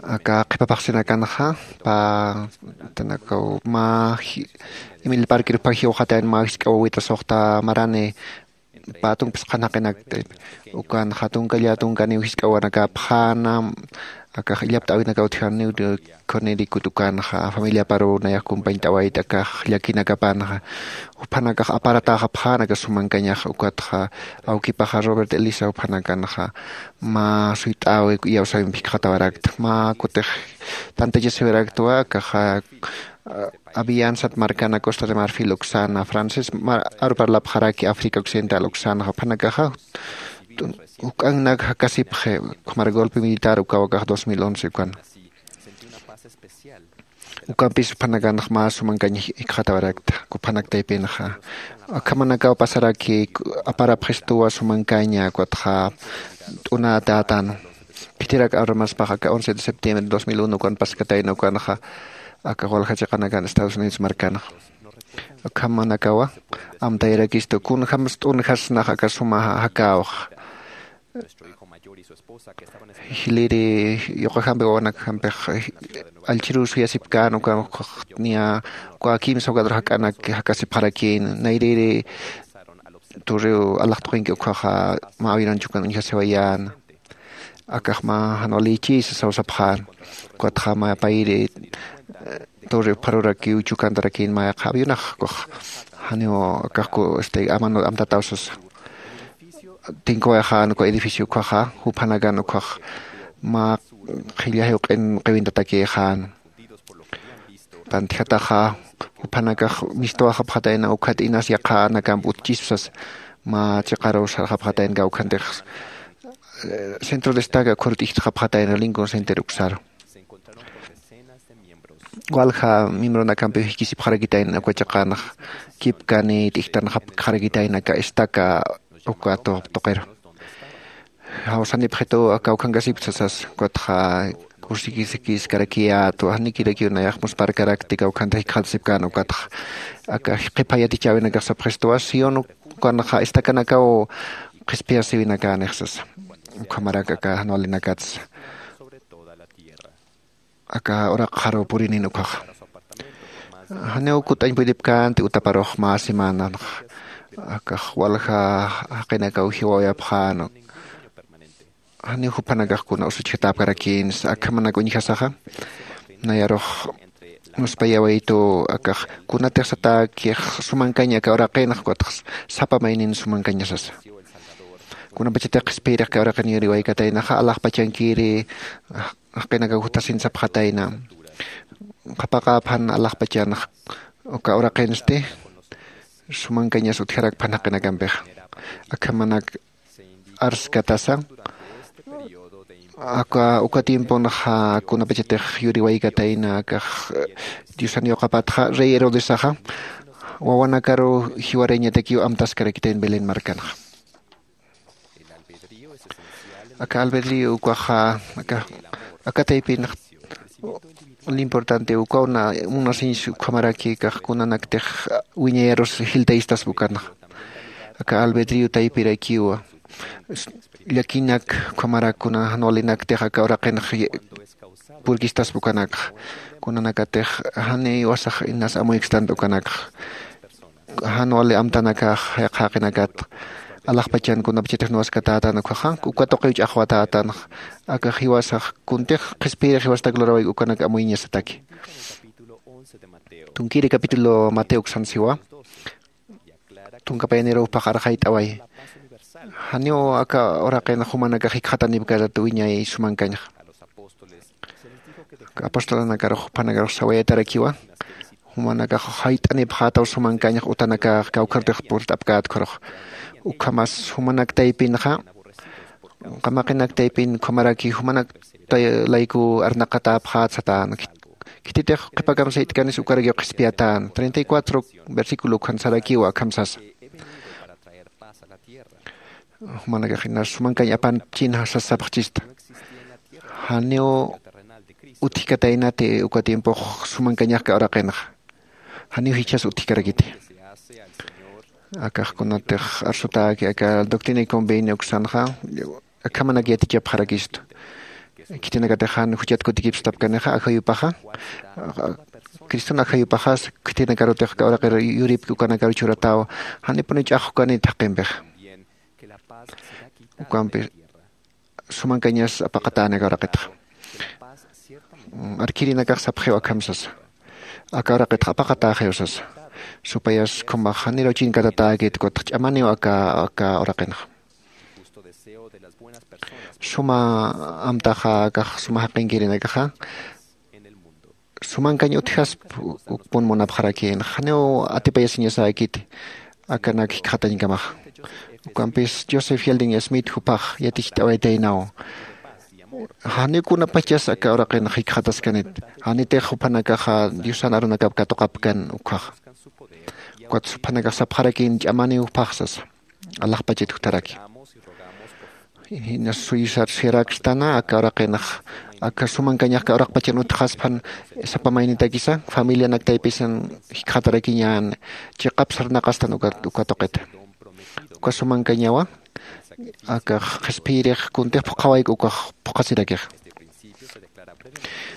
Aka qhipapaxsinakanxa pä tanakaw mä emil parquir pä jiwxatayan mä jisk'a wawita suxta marani pä tunkpis qhanaqinakti. Ukanxa tunkalla tunkaniw jisk'awanakäpxäna. Akax illapt'äwinakaw utjaniw khunirikut ukanxa familiaparuw nayax kumpañt'awayta akax llakinakapanxa. Juphanakax aparatäxapxän aka sumankañax ukatxa awkipaxa robert elisa juphanakanxa mä suyt'äwi iyawsäwimp jikxatawarakta mä kutix tantachasiwiraktwa akaxa. Aviansat markana costa de marfil uksana francés aru parlapxaraki africa occidental uksanxa juphanakaxa juk'annak jakasipxi. Ukhamar golpe militar ukaw akax dos mil once ukan ukampis juphanakanx mä sumankañ jikxatawarakta juphanak taypinxa. Akhamanakaw pasaraki aparapxistuwa sumankaña ukatxa t'unatätan. Khitirak armaspax aka once de septiembre dos mil uno ukan paskatayna ukanxa aka walja chiqanakan estados unidos markanxa. Akhamanakawa amtayarakistu kunjams t'unjasnax aka suma jakäwxa. Jiliri yuqajampi wawanakjampix allchhiruw suyasipkän ukan ukxax niya uka kimsa jukatru jak'anak jakasipxarakïn nayrïri turiw alaxtuqinki ukkhaxa mä avionanchukan uñjasiwayän. Akax mä jan walïchï sasaw sapxän. Ukatxa mä payri turi pharurakiw chukantarakin mä yaqha avionax ukax janiw akaxku este amano amtataw sasa. Tinkuwayxän uka edificio ukkhaxa juphanakan ukkhax mä qhilla jiwq'in qiwintatakïxän. Tantjataxa juphanakax mistuwaxapxatayna ukhat inas yaqhanakamp utchispa sasa. Mä chiqaruw sarxapxatayna kawkhantix centro destaca khurut'ijtxapxatayna lincoln center uksaru. Walja miembronakampiw jikisipxarakitayna uka chiqanax kipkani t'ijtanxapkxarakitayna aka estaca uka tuqiru. Jawsanipxitu aka ukhankasipta sasas ukatxa kusikiskiskarakiyätwa janikirakiw nayax muspharkarakti kawkhanta jikxatasipkän ukatxa. Aka qhipa yatichäwinakax sapxistuwa sión ukanxa estacanakaw qhispiyasiwinakanix sasa. Ukhamarak aka jan walinakatsa aka uraqxaruw purinin ukkhaxa. Janiw kut'añ puyiripkänti utaparux mä semananxa akax walja jaqinakaw jiwawayapxän. Janiw jupanakax kuna usuchjatäpkarakïnsa akhamanak uñjasaxa. Nayarux muspayawaytu akax kunatix satäkix sumankaña aka uraqinxa ukatxa sapa maynin sumankaña sasa. Kunapachatix qhispiyirix aka uraqin yuriwaykataynaxa alaxpachankiri jaqinakaw juthasin sapxatayna. qhapaqäpxan alaxpachanx uka uraqinsti sumankañas utjarakpxan jaqinakampixa. Akhamanak arskatasa aka uka tiemponxa kunapachatix yuriwaykatayna akax diosan yuqapatxa rey herodesaxa wawanakaru jiwarañatakiw amtaskarakitayn belén markanxa. Aka albedrío ukaxa aka aka taypinx importante ukaw na munasiñs ukhamaraki kax kunanaktix wiñayarus jiltayistaspa ukanxa. Aka albedrío taypirakiwa llakinak ukhamarak kuna jan walinaktix aka uraqinx purkistaspa ukanakxa. Kunanakatix janiw wasax inas amuykstan ukanakxa jan wali amtanakax jaqinakat alaxpachan kunapachatix nuwaskatätan ukhaxa uka tuqiw ch'axwatätanxa. Aka jiwasax kuntix qhispiyirix jiwastak lurawayku ukanak amuyñasataki. Tunkiri capítulo mateo uksan siwa tunka payanirux paqarxayt'away. Janiw aka uraqin jumanakax jikxatanipkatat wiñay sumankañxa. Apostolanakarux juphanakarux sawayatarakiwa jumanakax jayt'anipxätaw sumankañx utanakax kawkharutix purt'apkätkharux. Ukhamas jumanak taypinxa qamaqinak taypin ukhamaraki jumanak layku arnaqatäpxät satän. Khititix qhipakam sayt'kanis ukarakiw qhispiyatän treinta y cuatro versículo ukhan sarakiwa akham sasa. Jumanakax inas sumankañ apanchinxa sas sapxchista. Janiw utjkataynati uka tiempux sumankañax aka uraqinxa. Janiw jichhas utjkarakiti. Akax kunatix arsutäki aka doctrina y convenio uksanxa akhamanak yatichapxarakistu. Khitinakatix jan juchat kutikipstapkanixa ajayupaxa criston ajayupaxas khitinakarutix aka uraqir yuripki ukanakaru churatäw. Janipuni ch'axukanit jaqimpixa ukampi sumankañas apaqatäni aka uraqitxa. Arkirinakax sapxiw akham sasa aka uraqitxa apaqatäxiw sasa. Supayas khumax janiraw chinkatatäkit kutx ch'amaniw aka aka uraqinxa. Suma amtaxa akax suma jaqinkirinakaxa sumankañ utjasp ukpun munapxarakïnxa janiw atipayasiñasäkiti akanak jikxatañkamaxa. Ukampis joseph yeldin smith jupax yaticht'awaytaynaw janiw kunapachas aka uraqinxa jikxataskanit. Janitix juphanakaxa diosan arunakap katuqapkan ukkhaxa. Ukatsa juphanakax sapxarakïn ch'amaniw juphax sasa alaxpachat jutharaki. Jinas suyisar suyarakstan aka uraqinx aka sumankañax aka uraqpachan utjxasphan sapa maynitakisa familianak taypisan jikxatarakiñän. Chiqap sarnaqastan uka tuqita uka sumankañawa akax qhispiyirix kuntix phuqhawayku ukax phuqhasirakix.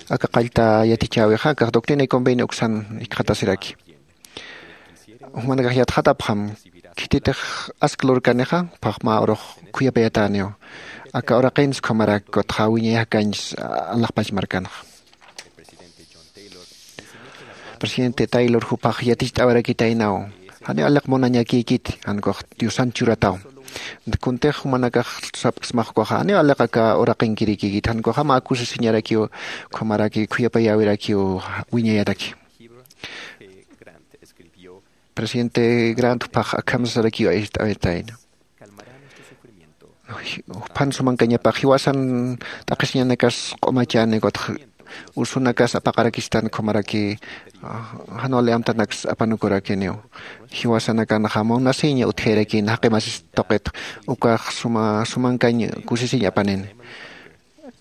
Aka qallta yatichäwixa akax doctrina y convenio uksan jikxatasiraki. Jumanakax yatxatapxam khititix ask lurkanixa phaxma urux khuyapayatäniw. Aka uraqins ukhamarak kutxa wiñay jakañs alaxpach markanxa. Presidente taylor juphax yaticht'awarakitaynaw janiw aliq munañakïkiti jankux diosan churataw. Kuntix jumanakax sapksmax ukaxa janiw aliq aka uraqinkirikïkiti jankuxama akusisiñarakiw ukhamaraki khuyapayäwirakiw wiñayataki. Presidente grant juphax akham sarakiw ayt'awitayna. Juphan sumankañapax jiwasan t'aqhisiñanakas q'umachani kutx ursunakas apaqarakistan ukhamaraki jan wali amtanaks apanukurakiniw. Jiwasanakanxa munasiña utjayarakïn jaqi masis tuqit ukax suma sumankañ kusisiñ apanini.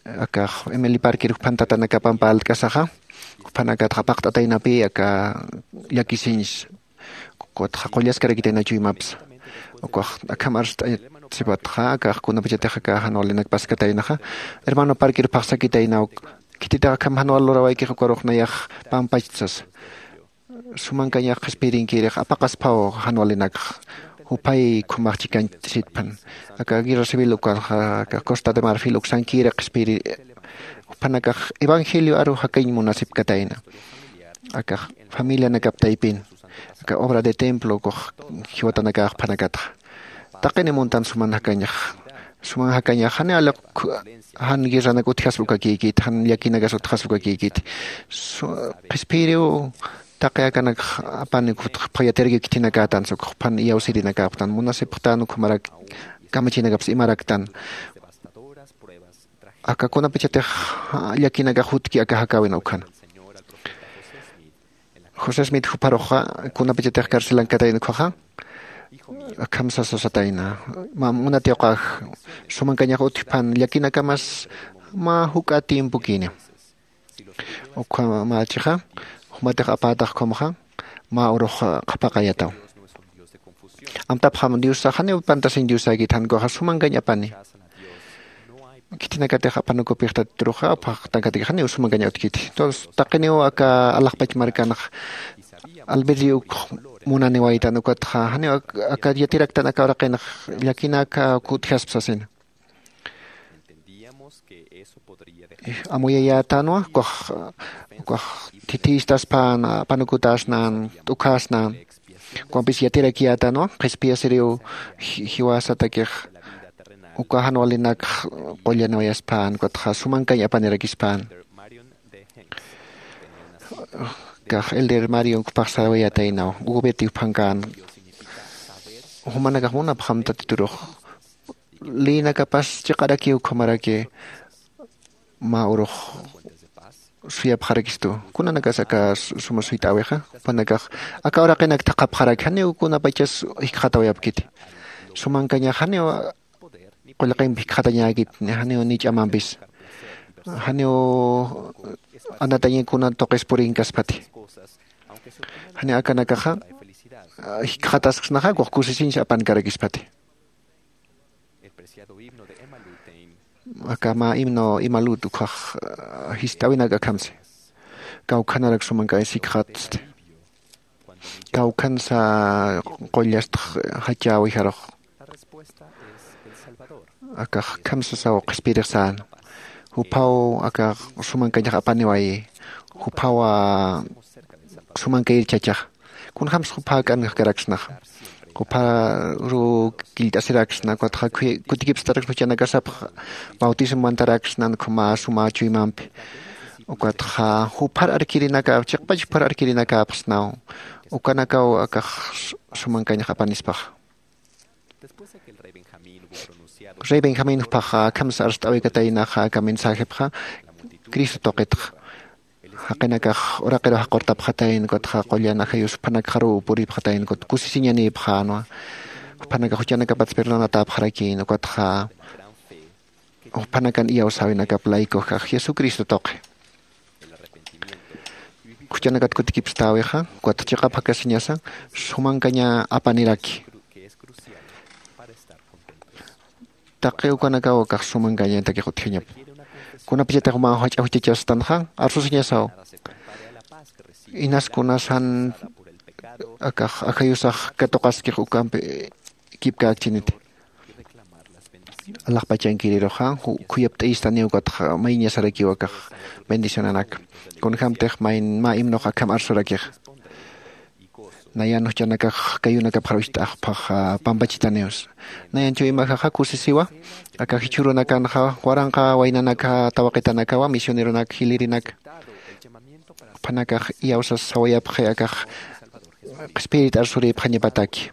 Akax emily parker juphan tatanakapampa altk'asaxa juphanakatxa paqt'ataynapï aka llakisiñs kutxa qullaskarakitaynachuymapsa. Ukax akham arst'asipatxa akax kunapachatix aka jan walinak paskataynaxa hermano parker phaxsakitaynaw. Khititix akham jan wal lurawaykix ukarux nayax pampachsasa. Sumankañax qhispiyirinkirix apaqasphaw jan walinakxa juphay khumax chikañchasitphan. Aka guerra civil ukaxa aka costa de marfil uksankiri qhispiyiri juphanakax evangelio aru jakañ munasipkatayna. Akax familianakap taypin aka obra de templo ukux jiwatanakax juphanakatxa taqini muntan suman jakañax Suman jakañax jani aliq jan guerranak utjaspa ukakïkiti, jan llakinakas utjaspa ukakïkiti. Qhispiyiriw taqi akanak apani ukxtxpha yatirakï khitinakätan sukxpan iyawsirinakäpxtan munasipxtan ukhamarak kamachinakapsa imaraktan. Aka kunapachatix llakinakax jutki aka jakäwin ukhana. José Smith jupharuxa kunapachatix carcelankatayna ukkhaxa akham sasa satayna, munatiwqax sumankañax utjpan llakinakamas mä juk'a tiempokïni. Ukhamächixa jumatix apätax ukhamaxa mä urux qhapaqayataw. Amtapxam diosax janiw pantasiñ diosäkit jan ukaxa sumankañ apani. Khitinakatix apanukupix tatituruxa apxaqtankatakix janiw sumankaña utkiti. Entonces taqiniw aka alaxpach markanx albedrio ukx munaniwaytan ukatxa janiw aka yatiraktan aka uraqinx llakinaka kutjaspa sasina. Amuyayätanwa ukax ukax thithïstaspan apanukutäsnan t'ukhäsnan. Ukampis yatirakiyätanwa qhispiyasiriw jiwasatakix uka jan walinakx qullanwayaspan ukatxa sumankañ apanirakispan. Kax elder mario ukpax sarawayätaynaw gubeti uphankän. Jumanakax munapxam tatiturux lïnakapas chiqarakiw ukhamaraki mä urux suyapxarakistu. Kunanakas aka suma suyt'äwixa jupanakax aka uraqinak thaqhapxaraki janiw kunapachas jikxatawayapkiti. Sumankañax janiw qullqimp jikxatañäkit janiw ni ch'amampis janiw anataña kuna tuqis purinkaspati. Janiw akanakaxa jikxatasksnaxa ukax kusisiñsa apankarakispati. Aka mä himno imalut ukkhax jist'äwinak akhamsi. Kawkhanarak sumankañ sikxatsti. Kawkhansa qullastx jachäwijarux. Akax akham sasaw qhispiyirix sän. Juphaw akax sumankañax apaniwayi. Juphawa sumankayir chachaxa. Kunjämsa jupha jak'ankaraksnaxa. Jupharu killt'asiraksna ukatxa kutikipstaraksna juchanakasapxa bautismo mantaraksnan ukhama suma chuymampi. Ukatxa juphar arkirinakäp chiqpach juphar arkirinakäpxsnaw. Ukanakaw akax sumankañax apanispaxa. Rey benjamín juphaxa akham sarst'äwikataynaxa aka mensajepxa cristo tuqitxa. Jaqinakax uraqiru jaqurtapxatayna ukatxa qullan ajayus juphanakxaruw puripxatayna ukat kusisiñanïpxänwa. Juphanakax juchanakapats perdonatäpxarakïna ukatxa juphanakan iyawsäwinakap laykujax jesucristo tuqi. Juchanakat kutikipstäwixa ukat chiqap jakasiñasa sumankaña apaniraki. Taqi ukanakaw akax sumankañatakix utjañapa. Kunapachatix mä jach'a juchachastanxa arsusiñasaw. Inas kunas jan akax ajayusax katuqaskix ukampi kipkäkchiniti. Alaxpachankiriruxa khuyapt'ayistaniw ukatxa mayiñasarakiw akax bendicionanak. Kunjämtix mä himnux akham arsurakixa. Nayan juchanakax kayunakapxar ucht'axpax pampachitaniws. Nayan chuymajaxa kusisiwa aka jichhürunakanxa waranqa waynanaka tawaqitanakawa misioneronak jilïrinaka. Juphanakax iyawsas sawayapxi akax qhispiyirit arsurïpxañapataki.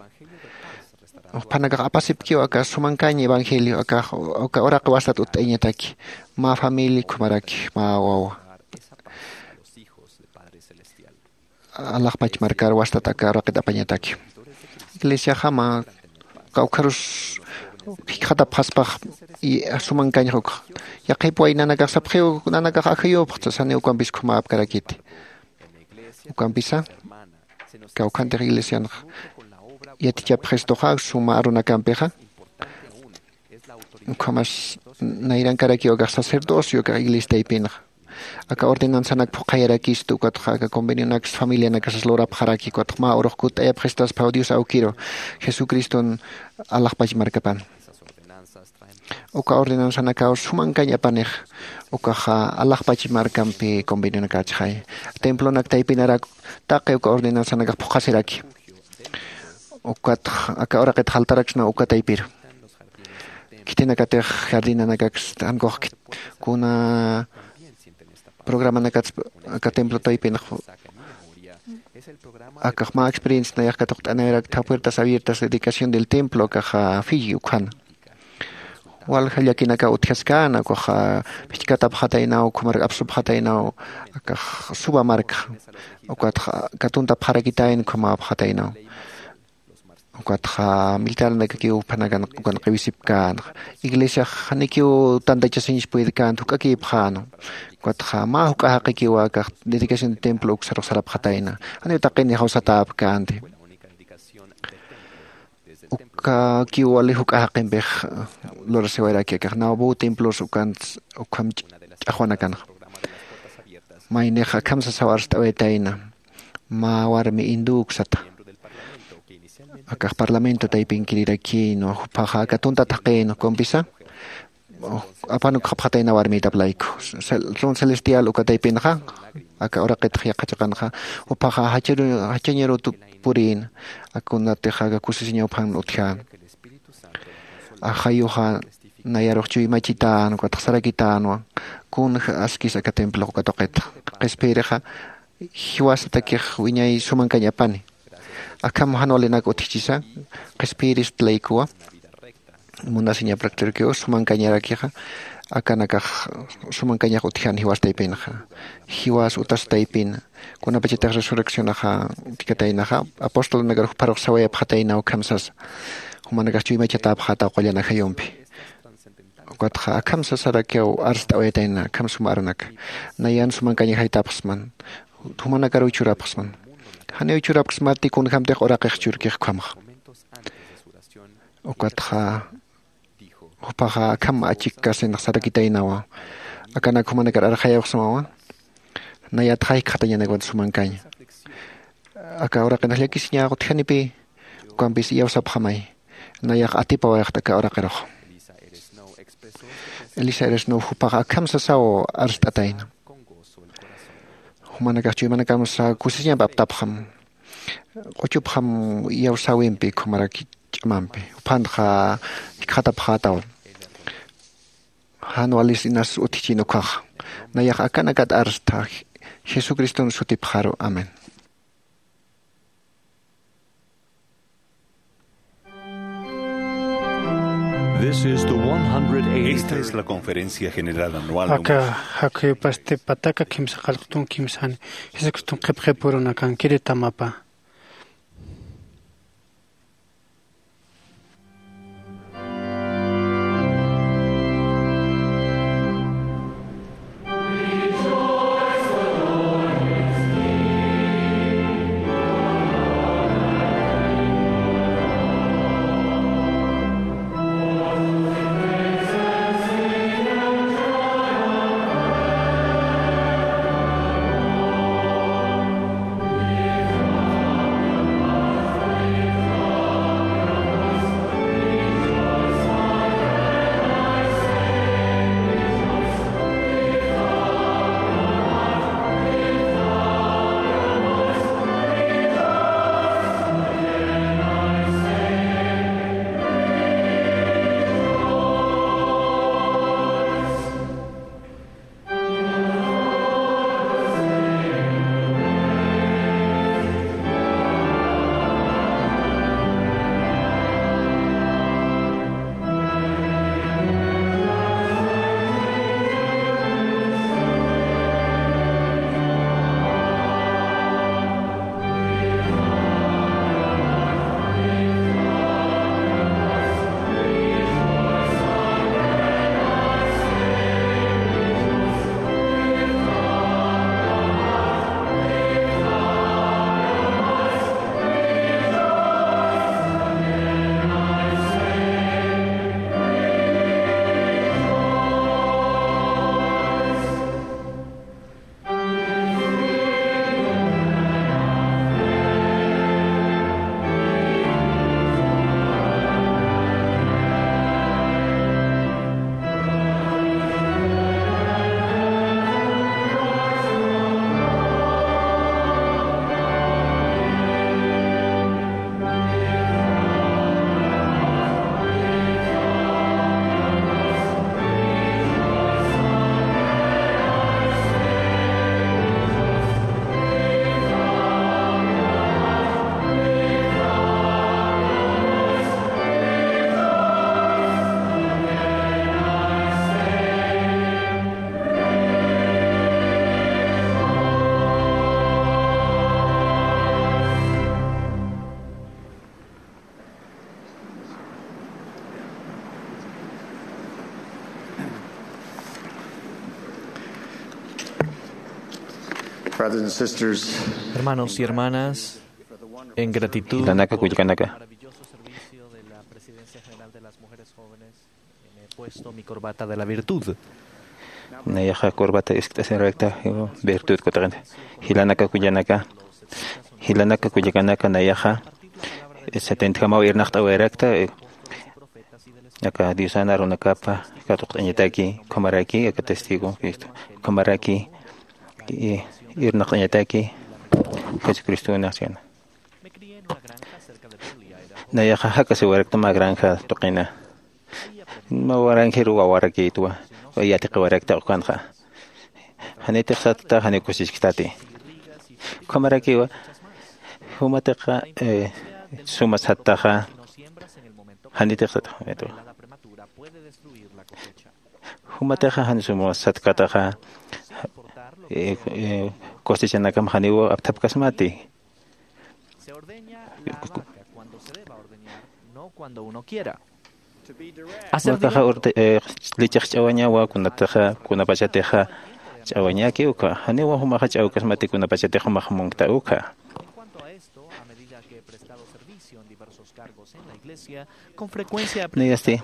Juphanakax apasipkiw aka sumankañ evangelio akax aka uraqi wastat utt'ayañataki mä familia ukhamaraki mä wawa alaxpach markar wastat aka uraqit apañataki. Iglesiaxa mä kawkharus jikxatapxaspax sumankañx ukxa. Yaqhip waynanakax sapxiw nanakax ajayupxta sani ukampis ukhamäpkarakiti. Ukampisa kawkhantix iglesianxa yatichapxistuxa suma arunakampixa. Ukhamas nayrankarakiw akax sacerdocio akax iglesia taypinxa aka ordenanzanak phuqhayarakistu ukatxa aka convenionaksa familianakasas lurapxaraki ukatxa mä urux kutt'ayapxistaspaw dios awkiru jesucriston alaxpach markapan. Uka ordenanzanakaw sumankañ apanix ukaxa alaxpach markampi convenionakächixay. Templonak taypinarak taqi uka ordenanzanakax phuqhasiraki. Ukatxa aka uraqit jaltaraksna uka taypiru. khitinakatix jardinanakaksta, jankux khit-, kuna programanakatsa aka templo taypinxa. Akax mä experiencia nayax katuqt'anayrakta, puertas abiertas, dedicación del templo, akaxa fiji ukhana. Walja llakinaka utjaskana, ukaxa phichkatapxataynaw, ukhamarak apsupxataynaw, akax suba markxa. Ukatxa katuntapxarakitayna, ukhamapxataynaw. Ukatxa militarnakakiw uphanakan ukan qiwisipkänxa. Iglesiax janikiw tantachasiñsa puydkänti, juk'akïpxäna. Ukatxa mä juk'a jaqikiwa akax dedicación de templo uksarux sarapxatayna. Janiw taqini jawsatäpkänti. Ukakiw wali juk'a jaqimpix lurasiwayaraki akax Nauvoo templos ukan ukham ch'axwanakanxa. Maynix akham sasaw arst'awaytayna. Mä warmi hindú uksata. Akax parlamento taypinkirirakïnwa, juphaxa aka tuntat jaqïn, ukampisa apan ukxapxatayna warmïtap layku. Cel-, trono celestial uka taypinxa, aka uraqitx yaqha chiqanxa, juphaxa jacharu-, jachañarutu purïna, akunatixa aka kusisiñaw uphan utjän. Ajayuxa nayarux chuymachitän, ukatxa sarakitänwa, kunja askis aka templox uka tuqitxa. Qhispiyirixa, jiwasatakix wiñay sumankañ apani. Akham jan walinak utjchisa, qhispiyirist laykuwa, munasiñap rectorkiw sumankañarakixa, akanakax sumankañax utjan jiwas taypinxa. Jiwas utas taypin, kunapachatix resurreccionaxa utjkataynaxa, apostolnakar jupharux sawayapxataynaw akham sasa. Jumanakax chuymachatäpxätaw qullan ajayumpi. Ukatxa akham sasarakiw arst'awayatayna, akham suma arunaka. Nayan sumankañax jaytapxsman. Jumanakaruw churapxsman. Janiw churapxsmati kunjämtix uraqix churkix ukhamxa. Ukatxa juphaxa akham achikkasinx sarakitaynawa. Akanak jumanakar arxayapxsmawa. Nayatxa jikxatañanakwan sumankaña. Aka uraqinx llakisiñax utjanipï, ukampis iyawsapxamay. Nayax atipawayxt aka uraqirux. Elisa Eresnow juphaxa akham sasaw arst'atayna. Jumanakax chuymanakamsa kusisiñamp aptapxam. Q'uchupxam iyawsäwimpi, ukhamaraki ch'amampi. Juphanxa jikxatapxätaw. Jan walis inas utjchin ukkhaxa. Nayax akanakat arstha. Jesucriston sutipxaru. Amén. This is the one hundred eighty-third. Esta es la conferencia general anual. Aka jakhuyupasti pataka kimsa qallqtun kimsani. Jesucriston qhipxipurunakankiri tamapa. Brothers and sisters, hermanos y hermanas, en gratitud por el maravilloso servicio de la Presidencia General de las Mujeres Jóvenes, me he puesto mi corbata de la virtud. Nayaxa corbata iskt'asirakta virtud kutaqin. Jilanaka kullakanaka, jilanaka kullakanaka, nayaxa setenta jamaw irnaqt'awayarakta, aka Diosan arunakapa katuqt'añataki, ukhamaraki aka testigo Cristo, ukhamaraki irnaqt'añataki Jesucristo naciona. Nayaxa jakasiwarakta mä granja tuqina. Mä granjeru wawarakïtwa, yatiqiwarakta ukanxa. Janitix satta, janiw kusichkstati. Ukhamarakiwa, jumatixa suma sattaxa, janitix satta, jumatixa jan suma satkataxa, cosechanakam janiw apthapkasmati. Wakaxa lichix ch'awañawa, kunatixa kunapachatixa ch'awañaki uka, janiwa jumaxa ch'awkasmati kunapachatix jumax munkta uka. Nayasti,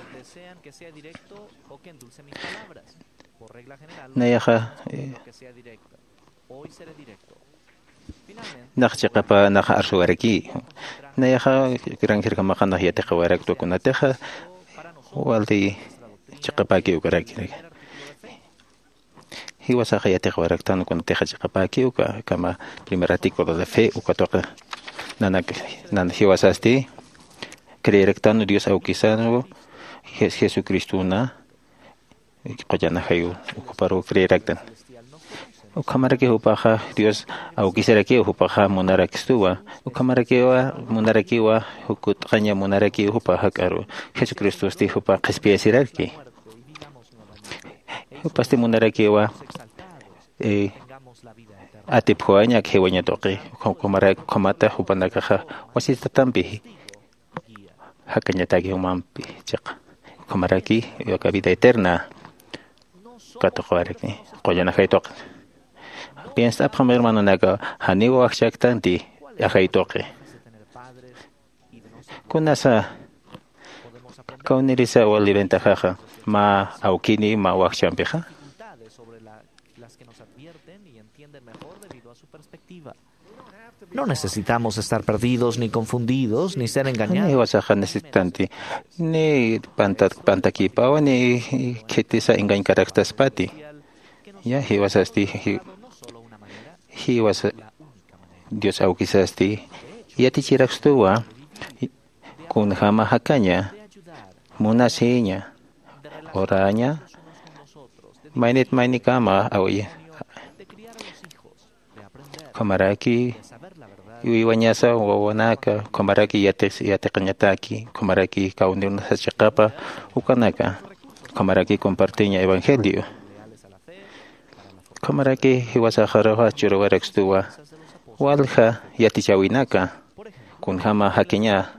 nayaxa nax chiqapa nax arsuwaraki. Nayaxa granjerjamaxa nax yatiqiwaraktwa kunatixa wali chiqapäki ukaraki. Jiwasaxa yatiqiwaraktan kunatixa chiqapäki uka, kama primer artículo de fe uka tuqi. Nanak, nan jiwasasti creeraktan Dios awkisanwa, Jes- Jesucristona qullan ajayu, ukhaparu creeraktan. Ukhamaraki jupaxa Dios awkisarakiw, jupaxa munarakstuwa. Ukhamarakiwa munarakiwa, jukut'aña munarakiw jupaxa k'aru. Jesucristosti jupa qhispiyasiraki. Jupasti munarakiwa atipjuwañak jiwaña tuqi. Ukhamata jupanakaxa wasitatampi jakañataki jumampi chiqa. Ukhamaraki aka vida eterna katuqwaraki, qullan ajay tuqi. Piensapxam hermanonaka, janiw wajchaktanti ajay tuqi. Kunasa kawnirisa wali ventajaxa, mä awkini mä wajchampixa. No necesitamos estar perdidos ni confundidos ni ser engañados. Jiwasaxa necesitanti ni panta- pantakipawa ni khitisa engañkaraktaspati. Ya, jiwasasti, ji- jiwasa Dios awkisasti yatichirakstuwa, kunjama jakaña, munasiña, oraña, maynit maynikama awi. Ukhamaraki uywañasa wawanaka, ukhamaraki yatiq- yatiqañataki, ukhamaraki kawnirunasa chiqapa ukanaka, ukhamaraki compartiña evangelio. Ukhamaraki jiwasaxaruxa churawarakstuwa walja yatichäwinaka, kunjama jakiña,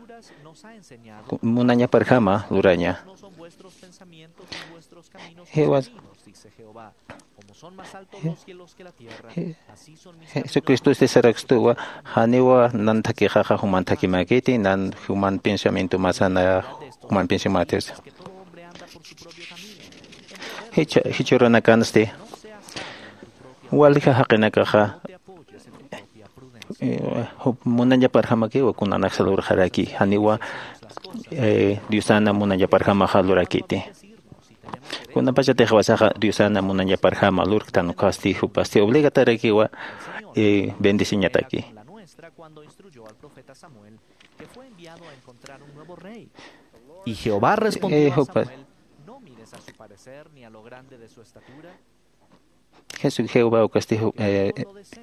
ku- munañaparjama luraña. Jiwas- Je- Je- Jesucristosti sarakstuwa, janiwa nan thakixaxa juman thakimäkiti, nan juman pensamientomasa, na juman pensamientomasa. Jichha- jichhürunakansti walja jaqinakaxa, eh, jup- munañaparjamakiwa kunanaksa lurxaraki, janiwa, eh, Diosana munañaparjamaxa lurakiti. Kunapachatix jiwasaxa Diosana munañaparjama lurktan ukasti, jupasti obligatarakiwa, eh, bendeciñataki. Y Jehová respondió a Samuel: "No mires a su parecer ni a lo grande de su estatura". Jesu- Jehová ukasti, eh,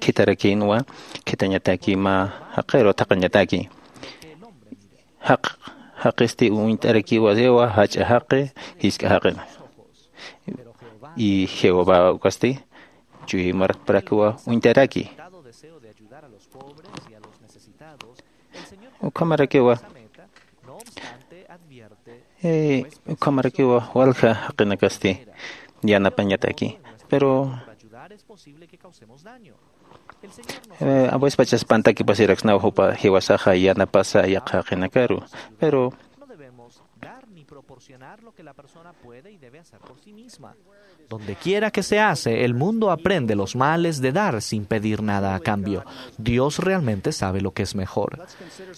khitarakinwa, khitañataki mä jaqiru thaqhañataki. Jaq- jaqisti uñt'arakiwa, jach'a jaqi, jisk'a jaqi. Y Jehová ukasti chuymarakparakiwa uñt'araki. Ukhamarakiwa, eh, ukhamarakiwa walja jaqinakasti yanapañataki. Pero Es posible que causemos daño. El Señor nos Eh, a veces pachas pantakipasiraksnaw jupa jiwasaxa yanapasa yaqha jaqinakaru. Pero no debemos dar ni proporcionar lo que la persona puede y debe hacer por sí misma. Donde quiera que se hace, el mundo aprende los males de dar sin pedir nada a cambio. Dios realmente sabe lo que es mejor.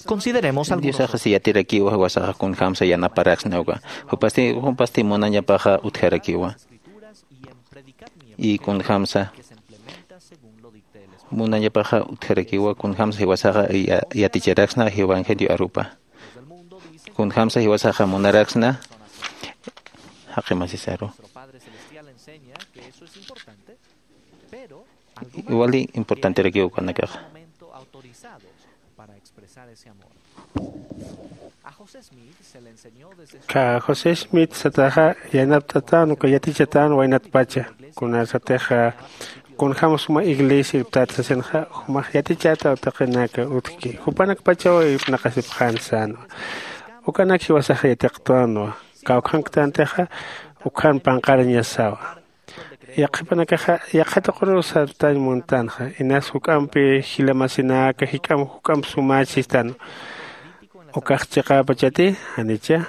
Consideremos algunos Diosaxa si yatirakiwa jiwasaxa kunjamsa yanaparaksnaw uka. Jupasti, jupasti munañapaxa utjarakiwa. Y kunjamsa munañapaxa utjarakiwa, kunjamsa jiwasaxa ya-, yaticharaksna evangelio arupa. Kunjamsa jiwasaxa munaraksna. Jaqimasisaru. Wali importanterakiwa ukanakaxa. Ka José Smith sataxa yanapt'atan uka yatichatan waynatpacha. Kunasatixa kunjam suma iglesia irptat sasinxa, jumax yatichata utaqinaka utjki. Jupanakpachaw irpnaqasipxän sänwa. Ukanak jiwasaxa yatiqtänwa. Kawkhanktantixa ukan panqarañasawa. Yaqhipanakaxa yaqha tuquru sartañ muntanxa, inas juk'ampi jila masinaka jik'am juk'amp sumach sistan. Ukax chiqäpachati, janicha,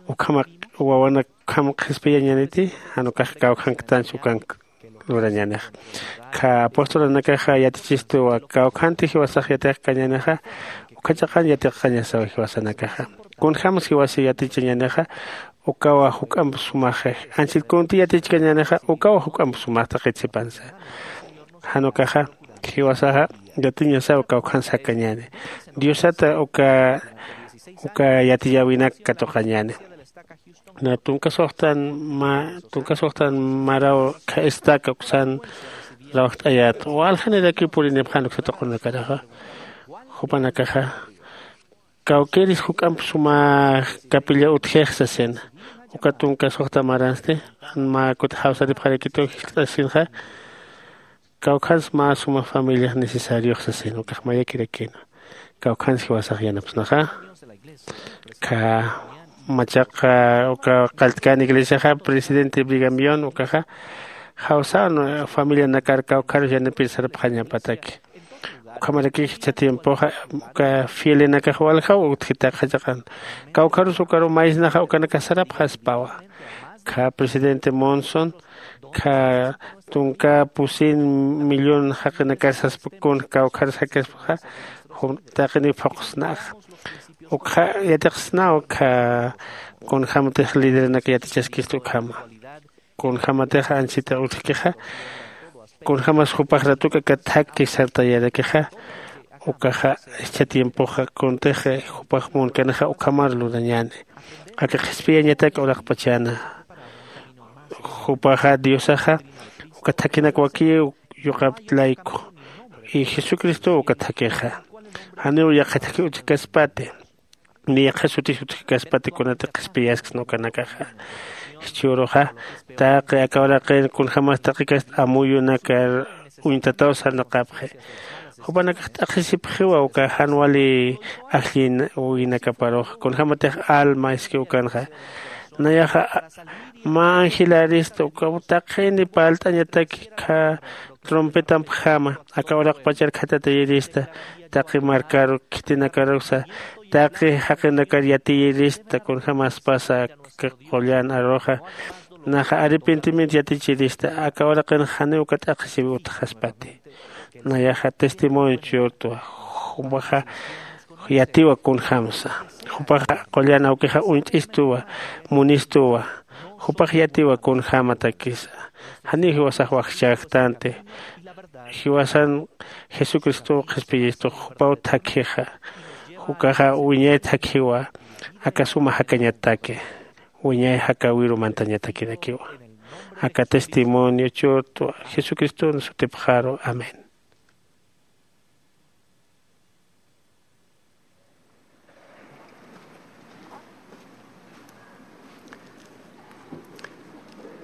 ukhama wawanak ukham qhispiyañäniti, jan ukax kawkhanktanch ukank lurañänix. Kha apostolanakaxa yatichistuwa, kawkhanti jiwasax yatiqkañänixa, ukhachaqan yatiqkañasaw jiwasanakaxa. Kunjams jiwasa yatichañänixa, ukawa juk'amp sumax, anchhit kunti yatichkañänixa, ukawa juk'amp sumax taqit sipansa. Jan ukaxa, jiwasaxa yatiñasaw kawkhans jakañäni. Diosata uka, uka yatiyäwinak katuqañäni. Na tunka suxtan ma, tunka suxtan maraw kha estaca uksan rawjt'ayät. Waljanirakiw purinipxän uksa tuqunakaraxa. Jupanakaxa. Kawkïris juk'amp suma capilla utjix sasina. Uka tunka suxta maransti, jan mä kuti jawsaripxarakitu jiskt'asinxa. Kawkhans mä suma familiax necesariox sasina, ukax mayakirakïna. Kawkhans jiwasax yanapsnaxa. Kha machaqa uka qalltkän iglesiaxa, presidente Brigham Young ukaxa, jawsän familianakar kawkharus yanapir sarapxañapataki. Ukhamaraki jichha tiempoxa, uka fielenakax waljaw utjita qhachaqan. Kawkharus ukaru maysnaxa ukanakax sarapxaspawa. Kha presidente Monson, kha tunka pusin millón jaqinakar saspa kun kawkhar jakaspaxa, jun taqini phuqsnaxa. Ukxa yatiqsnaw kha kunjamtix lidernak yatichaskistu ukhama. Kunjamatix anchhita utjkixa, kunjamas jupax ratuk aka thakki sartayarakixa, ukaxa jichha tiempoxa kuntix jupax munkanixa ukhamar lurañäni. Aka qhispiyañatak uraqpachäna. Jupaxa Diosaxa uka thakhinak wakiw yuqaptlayku. Y Jesucristo uka thakhixa. Janiw yaqha thakhi utjkaspati. Ni yaqha sutis utjkaspati kunati qhispiyaskisna ukanakaxa. Jichhüruxa, taqi aka uraqin kunjamas taqikast amuyunakar uñtataw sarnaqapxi. Jupanakax t'aqhisipxiwa uka jan wali ajllin uwinakaparux, kunjamatix alma iski ukanxa. Nayaxa, mä angelarista uka taqini parlt'añataki kha trompetampjama, aka uraqpachar khatatayirista, taqi markaru khitinakaruksa, taqi jaqinakar yatiyirista, kunjamaspasa qullan aruxa, naxa arrepentimiento yatichirista, aka uraqin janiw uka t'aqhisiw utjaspati. Nayaxa testimonio churtwa, jupaxa yatiwa kunjamsa. Jupaxa qullan awkixa uñt'istuwa, munistuwa. Jupax yatiwa kunjämatakisa. Janiw jiwasax wajchäktanti. Jiwasan Jesucristow qhispiyistux jupaw thakhixa. Ukaxa wiñay thakhiwa. Aka suma jakañataki. Wiñay jakäwiru mantañatakirakiwa. Aka testimonio churtwa Jesucriston sutipxaru. Amén.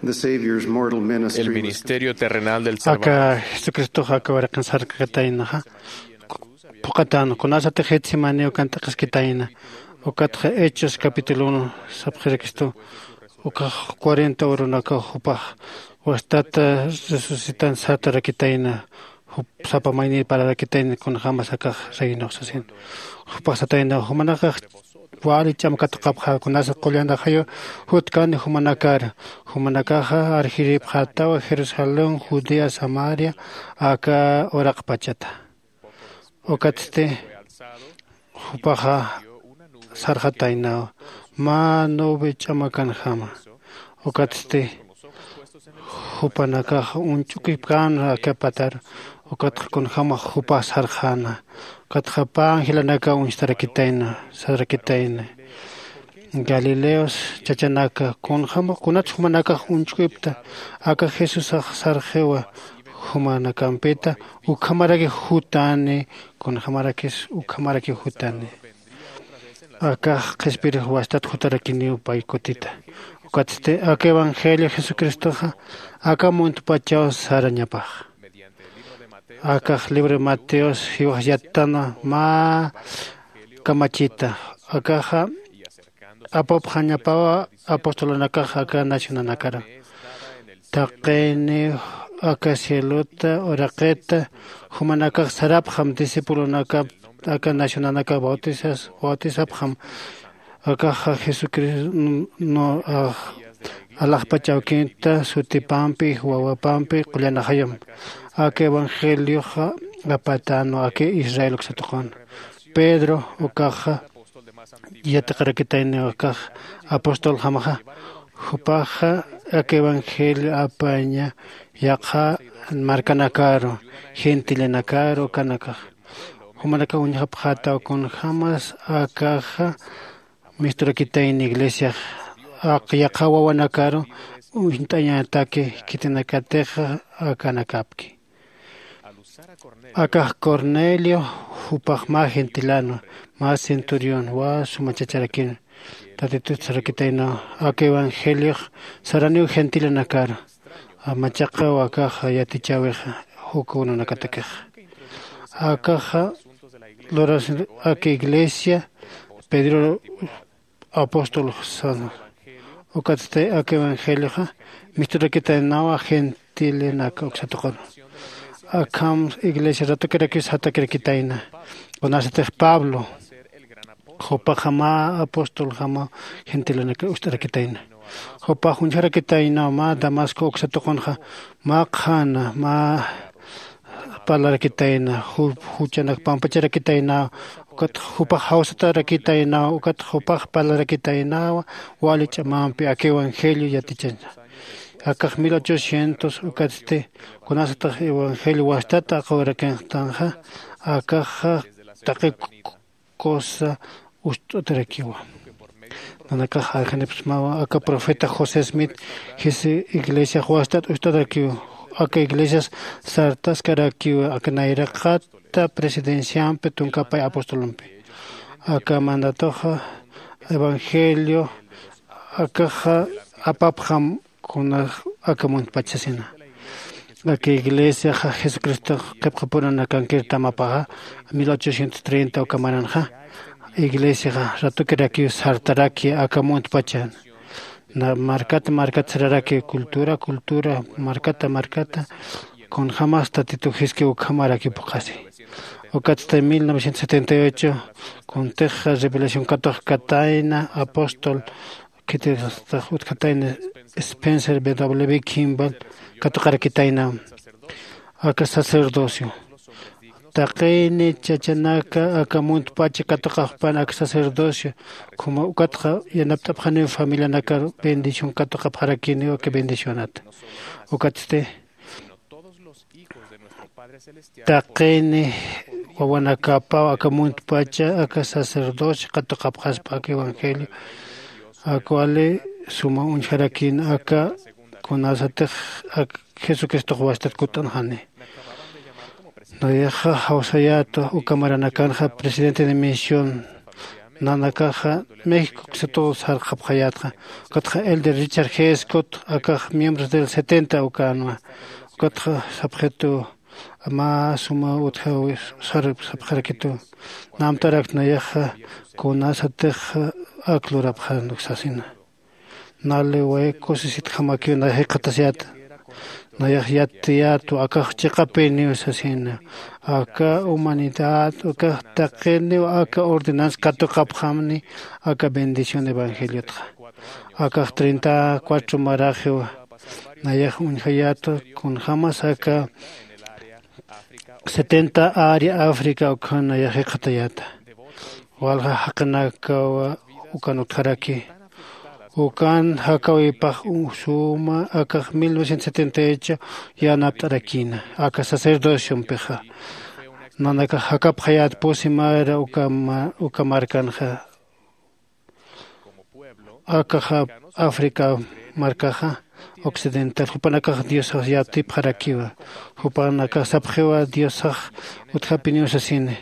The Savior's mortal ministry El was ministerio terrenal del Salvador. Aka Jesucristoxa aka uraqin sarkakataynaxa phuqhatan, kunasatix Getsemaní ukan t'aqhiskitayna. Ukatxa Hechos capítulo uno sapxirakistu, ukax cuarenta urunakaw jupax Wastata resucitan satarakitayna, jup sapa maynir pararakitayna kunjämas akax reinux sasin. Jupax satayna, jumanakax wali ch'am katuqapxä, kunasa qullan ajayu jutkani jumanakar. Jumanakaxa arjiripxätawa Jerusalén, Judea, Samaria, aka uraqpachata. Ukatsti jupaxa sarxataynaw mä nube ch'amakanjama. Ukatsti jupanakax uñch'ukipkän aka patar. Ukatxa kunjämax jupax sarxäna. Ukatxa pä angelanakaw uñstarakitayna, sarakitayna. Galileos chachanaka, kunjämax kunats jumanakax uñch'ukipta, aka Jesusax sarxiwa jumanakampita, ukhamaraki jutani, kunjämarakis ukhamaraki jutani. Akax qhispirix wastat jutarakiniw pay kutita. Ukatsti aka evangelio Jesucristoxa aka muntpachaw sarañapax. Akax libro de Mateos jiwax yattanwa mä kamachita. Akaxa apupxañapawa apostolunakax aka nacionanakar. Taqini aka cielota uraqita jumanakax sarapxam discipulonakap aka nacionanakax bautizas, bautizapxam. Akaxa Jesucristo no, alaxpach awkinta sutipampi, wawapampi qullan ajayum. Aka evangelioxa apatänwa aka Israel uksa tuqun. Pedro ukaxa yatiqarakitayniw akax apostoljamaxa. Jupaxa aka evangelio apaña yaqha markanakaru, gentillanakaru ukanakax. Jumanakax uñjapxätaw kunjämas akaxa misturakitayni iglesiax, yaqha wawanakaru uñt'añataki khitinakatixa akanakapki. Akax Cornelio jupax mä gentilano, mä centurión, wä suma chacharakin. Tatitut sarakitaynaw aka evangeliox saraniw gentillanakar, machaqaw akax yatichäwixa juk ununakatakixa. Akaxa lurasin aka iglesia Pedro apóstol sana. Ukatsti aka evangelioxa misturakitaynawa gentilenaka uksa tuqun. Akham iglesia ratukirakiw satakirakitayna. Kunasatix Pablo jupaxa mä apostoljamaw gentilenaka ucht'arakitayna. Jupax uñjarakitaynaw mä Damasco uksa tuqunxa, mä qhana, mä parlarakitayna, ju- juchanak pampacharakitaynaw, ukat jupax jawsatarakitaynaw, ukat jupax parlarakitaynawa wali ch'amampi aka evangelio yatichaña. Akax mil ochocientos ukatsti kunasatix evangelio wastata aqawirakinxtanxa, akaxa taqi cosa ust'atarakiwa. Nanakax arjanipxsmawa aka profeta José Smith jisi iglesiax wastat ust'atarakiwa. Aka iglesias sartaskarakiwa aka nayraqata presidenciampi tunkapay apostolumpi. Aka mandatoxa evangelio akaxa apapxam kuna aka muntpach sasina. Aka iglesiaxa Jesucristox qhipqapurunakankir tamapaxa mil ochocientos treinta uka maranxa iglesiaxa ratukirakiw sartaraki aka muntpachan. Na markata markata sararaki cultura cultura markata markata kunjämas Tatitu jiski ukhamaraki phuqhasi. Ukatsti mil novecientos setenta y ocho kuntix revelación katuqkatayna apóstol khititax utjatayna Spencer W Kimball katuqarakitayna aka sacerdocio. Taqini chachanaka aka muntpacha katuqaxpan aka sacerdocio, como ukatxa yanapt'apxaniw familianakar bendición katuqapxarakiniw aka bendicionata. Ukatsti taqini wawanakapaw aka muntpacha aka sacerdocio katuqapxaspa aka evangelio. Akwali suma uñjarakïn aka kunasatix ak jesucristox wastat kutt'anxani. Nayaxa jawsayäta uka maranakanxa presidente de misión nanakaxa méxico uksa tuq sarxapxayätxa. Ukatxa el de richard g scott akax miembros del setenta ukänwa. Ukatxa sapxituw mä suma utjawi sarxapxarakituw. Namtarak nayaxa kunasatix ak lurapxän uksasina. Nali way kusisitjamakiw nayax jikxatasiyäta. Nayax yattiyätwa akax chiqapiniw sasina. Aka humanidad ukax taqiniw aka ordenanza katuqapxamni aka bendición evangeliotxa. Akax treinta cuatro maraxiwa. Nayax uñjayätwa kunjämas aka setenta área África ukan nayax jikxatayäta. Walja jaqinakawa ukan utjaraki. Ukan jakawipax suma akax mil novecientos setenta y ocho yanapt'arakïna aka sacerdociompixa. Nanakax jakapxayät pusi mara uka ma- uka markanxa. Akaxa África markaxa occidental jupanakax diosax yatipxarakiwa. Jupanakax sapxiwa diosax utjapiniw sasini.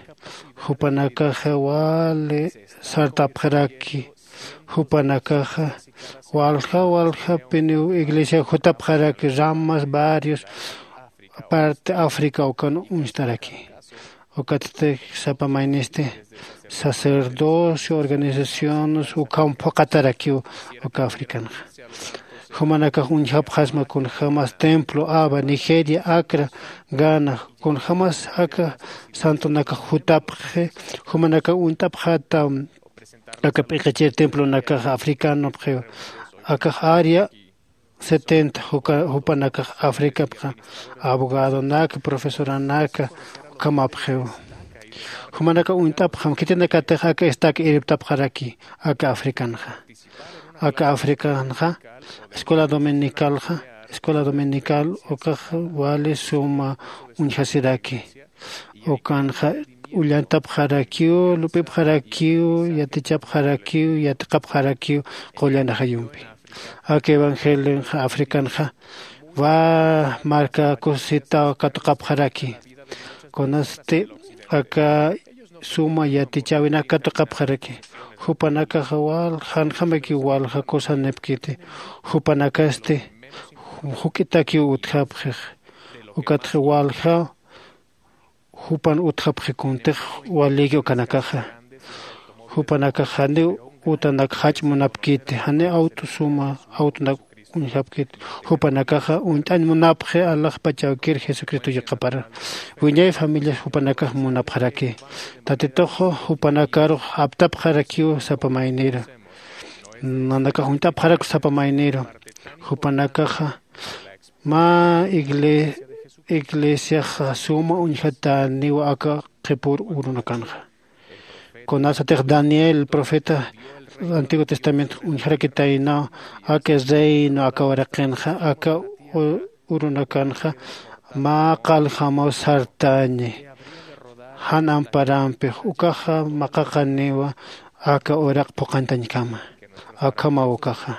Jupanakaxa wali sartapxaraki. Jupanakaxa walja waljapiniw iglesia jutapxaraki ramas varios parte África ukan uñst'araki. Ukatsti sapa maynisti sacerdocio organizaciones ukham phuqatarakiw uka africanxa. Jumanakax uñjapxasma kunjämas templo aba nigeria acra gana kunjämas aka santonakax jutapxi. Jumanakax uñt'apxata aka p'iqichir templonakax africanopxiw. Akax área setenta jupanakax africapxa abogadonaka profesoranaka ukhamapxiw. Jumanakax uñt'apxam khitinakatix aka estaca irptapxaraki aka africanxa. Aka africanxa escuela dominicalxa escuela dominical ukax wali suma uñjasiraki. Ukanxa ullantapxarakiw lup'ipxarakiw yatichapxarakiw yatiqapxarakiw qullan ajayumpi. Aka evangelionxa africanxa wal marka kusisitaw katuqapxaraki. Kunasti aka suma yatichäwinak katuqapxaraki. Jupanakaxa wal janjamakiw walja kusanipkiti. Jupanakasti juk'itakiw utjapxix. Ukatxa walja jupan utjapxi kuntix walïki ukanakaxa. Jupanakax janiw utanak jach'munapkiti janiw awt'u suma awt'unak uñjapkiti. Jupanakaxa uñt'añ munapxi alaxpach awkir jesucristo yaqapar. Wiñay familias jupanakax munapxaraki. Tatitux jupanakarux aptapxarakiw sapa mayniru. Nanakax uñt'apxarak sapa mayniru. Jupanakaxa mä igle- iglesiaxa suma uñjatäniw aka qhipür urunakanxa. Kunasatix daniel profeta antiguo testamento uñjarakitaynaw aka reino aka uraqinxa aka u- urunakanxa mä qaljamaw sartañi. Jan amparampix ukaxa maqaqaniwa aka uraq phuqantañkama. Akhamaw ukaxa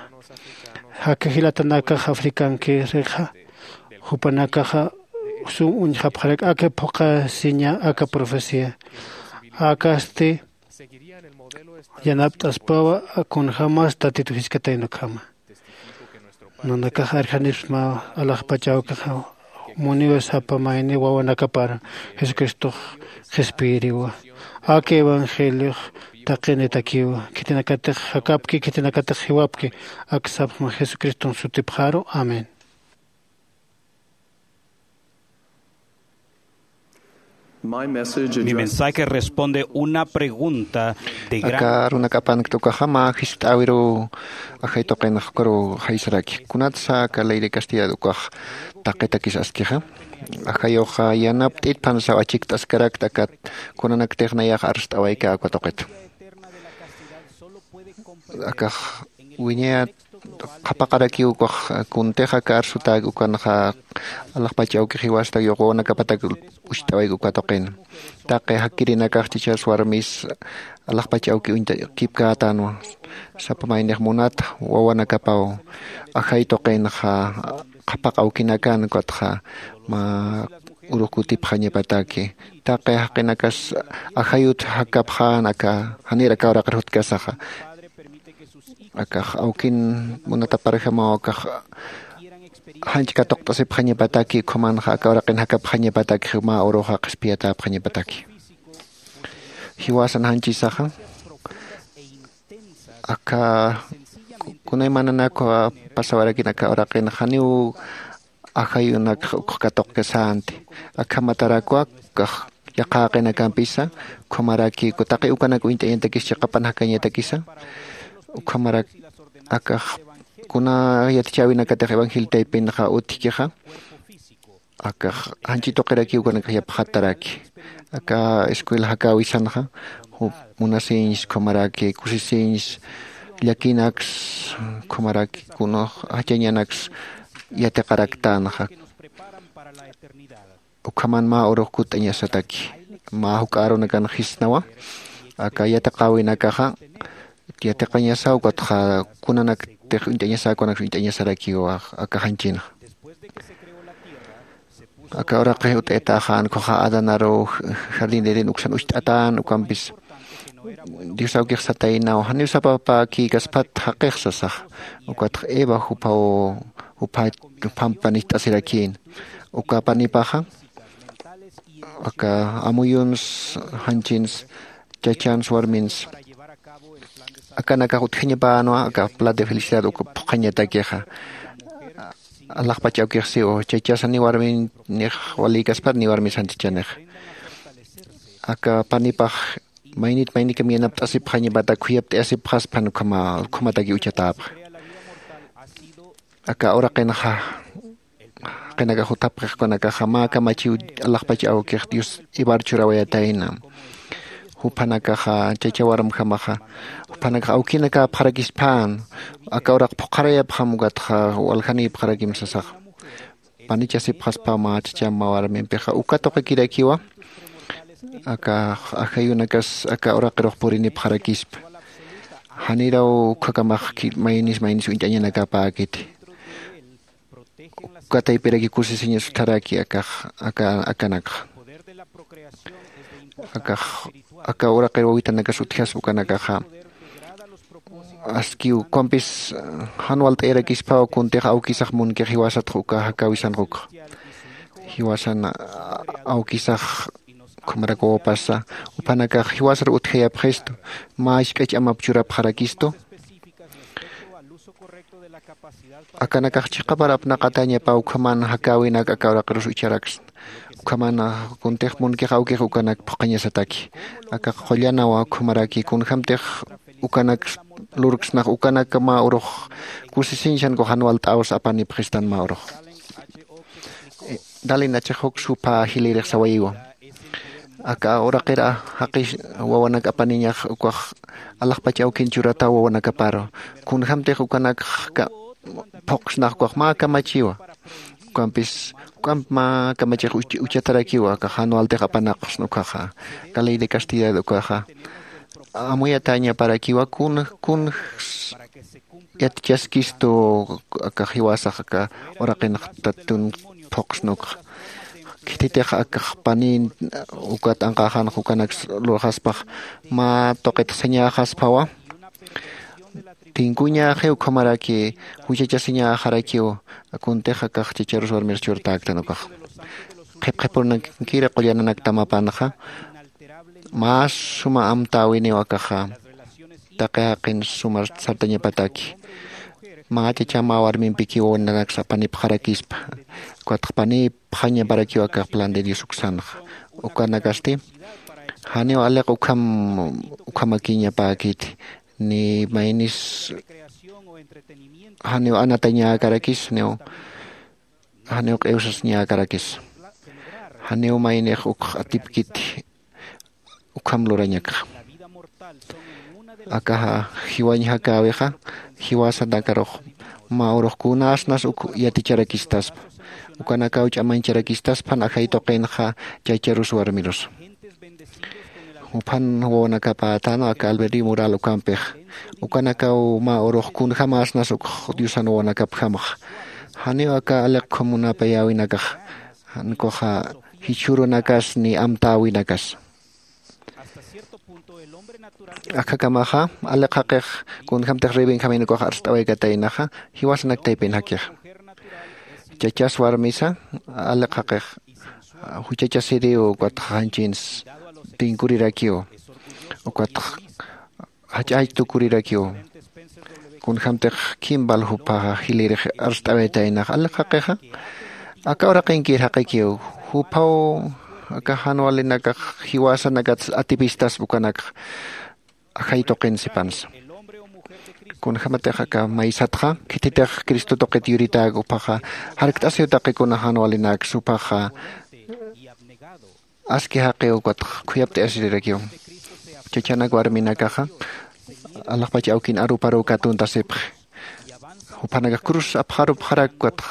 aka jilatanakax africankirixa jupanakaxa sum uñjapxarak aka phuqasiña aka profecía. Akasti yanapt'aspawa kunjämas tatitu jiskatayna ukhama. Nanakax arjanipsmaw alaxpach awkix muniwa sapa mayni wawanakapar jesucristox qhispiyiriwa. Aka evangeliox taqinitakiwa khitinakatix jakapki khitinakatix jiwapki. Ak sapxma jesucriston sutipxaru amén. Mi mensaje responde una pregunta de gran. Aka runakapankt ukaxa mä jiskt'äwiruw ajay tuqinx ukaruw jaysaraki kunatsa aka ley de castidad ukax taqitakis askixa. Ajayuxa yanapt'it phansaw achikt'askarakt akat kunanaktix nayax arst'awaykä uka tuqit. Akax wiñayat qhapaqarakiw ukax kuntix aka arsutäk ukanxa alaxpach awkix jiwastak yuqwanakapatak ucht'awayk uka tuqin. Taqi jakirinakax chichas warmis alaxpach awki uñtakipkätanwa. Sapa maynix munat wawanakapaw ajay tuqinxa qhapaq awkinakan ukatxa mä urux kutipxañapataki. Taqi jaqinakas ajayut jakapxän aka janir aka uraqir jutkasaxa. Akax awkin munataparjamaw akax janch katuqt'asipxañapataki ukhamanxa aka uraqin jakapxañapataki mä uruxa qhispiyatäpxañapataki. Jiwasan janchisaxa aka kunaymananakwa pasawarakin aka uraqin janiw ajayunakxa ukx katuqkasänti. Akhamatarakwa kax yaqhaqinakampisa ukhamaraki taqi ukanak uñt'añatakis chiqapan jakañatakisa ukhamarak akax kuna yatichäwinakatix evangelio taypinxa utjkixa akax janchi tuqirakiw ukanakax yapxataraki. Aka escuela jakäwisanxa jup munasiñs ukhamaraki kusisiñs llakinaks ukhamaraki kunux jachañanaks yatiqaraktänxa. Ukhaman mä urux kutt'añasataki mä juk'a arunakan jisnawa aka yatiqäwinakaxa yatiqañasa ukatxa kunanaktix uñt'añasa kunaksa uñt'añasarakiwa aka janchinxa. Aka uraqix ut'aytaxa ankhuxa adanaru jardín de eden uksan ucht'atän ukampis dios awkix sataynaw janiw sapapäkïkaspat jaqix sasaxa. Ukatxa eva juphaw jupha juphampan jist'asirakïna uka panipaxa aka amuyuns janchins chachans warmins akanakax utjañapänwa aka plan de felicidad uk phuqhañatakixa. Alaxpach awkix siw chachasa ni warminix walïkaspat ni warmis janchachanixa aka panipax maynit maynikam yanapt'asipxañapatak khuyapt'ayasipxaspan ukhama ukhamataki uchatäpxa. Aka uraqinxa jaqinakax juthapxix ukanakaxa mä kamachiw alaxpach awkix dios ivar churawayatayna. Juphanakaxa chacha warmjamaxa juphanakax awkinakäpxarakispän aka uraq phuqharayapxam ukatxa waljanïpxarakim sasaxa. Panichasipxaspa mä chacham mä warmimpixa uka tuqikirakiwa aka ajayunakas aka uraqirux purinipxarakispa. Janiraw ukhakamax maynis maynis uñt'añanakäpäkiti. Uka taypiraki kusisiñas utjaraki akax akanakxa akax aka uraqir wawitanakas utjaspa ukanakaxa. Aski ukampis jan walt'ayarakispaw kuntix awkisax munkix jiwasatx uka jakäwisanx ukxa jiwasan awkisax ukhamaraki wawapasa juphanakax jiwasar utjayapxistu mä isk'ach amap churapxarakistu. Akanakax chiqapar apnaqatäñapaw ukhaman jakäwinak aka uraqirus ucharaksna. Ukhaman kuntix munkix awkix ukanak phuqhañasataki. Akax qullanawa ukhamaraki kunjämtix ukanak lurksnax ukanak mä urux kusisiñsan kuxan walt'äwsa apanipxistan mä urux. Dalin achix juksa jupha jilïrix sawayiwa. Aka uraqir jaqis wawanak apaniñax ukax alaxpach awkin churataw wawanakaparu kunjämtix ukanakx phuqsnax ukax mä kamachiwa. Ukampis juk'amp mä kamachix uchatarakiwa akax jan waltix apanaqsna ukaxa. Aka ley de castidad ukaxa amuyatäñaparakiwa kun kun yatichaskistu aka jiwasax aka uraqinx tatun phuqsnukxa. Khititix akax panin ukat anqaxanx ukanaks lurxaspax mä tuqit sañäxaspawa. Tinkuñäxi ukhamaraki juchachasiñäxarakiw. Kuntix akax chacharus warmir churtäktan ukax qhipqhipurnankiri qullananaktam apanxa. Mä suma amtäwiniw akaxa taqi jaqin sumar sartañapataki. Mä chacham mä warmimpikiw nanaksa apanipxarakispa. Ukatx panipxañaparakiw akax plan de dios uksanxa. Ukanakasti janiw aliq ukham ukhamakiñapäkiti ni maynis janiw anatañäkarakis janiw janiw q'iwsasiñäkarakis. Janiw maynix ukx atipkiti ukham lurañakxa. Akaxa jiwañ jakäwixa jiwasanakarux mä urux kunasnas uk yaticharakistaspa. Ukanakaw ch'amañcharakistaspan ajay tuqinxa chacharus warmirusa. Juphan wawanakapätana aka albedrío moral ukampix ukanakaw mä urux kunjämäsnas ukx diosan wawanakapjamxa. Janiw aka aliq ukham munapayäwinakax jan ukaxa jichhürunakas ni amtäwinakas. Akhakamaxa aliq jaqix kunjämtix rebenjamin ukax arst'awaykataynaxa jiwasanak taypin jakixa. Chachas warmisa aliq jaqix juchachasiriw ukatxa janchins tinkurirakiw ukatxa jach'ach tukurirakiw. Kunjämtix kimbal juphaxa jilïrix arst'awaytaynaxa aliq jaqixa Aka uraqinkir jaqikiw juphaw aka jan walinakax jiwasanakats atipistaspa ukanakxa ajay tuqin sipansa. Kunjämatix aka maysatxa khititix cristo tuqit yuritäk juphaxa jarkt'asiw taqi kuna jan walinaksa juphaxa aski jaqiw ukatx khuyapt'ayasirirakiw. Chachanak warminakaxa alaxpach awkin aruparuw katuntasipxi. Juphanakax cruz apxarupxarak ukatx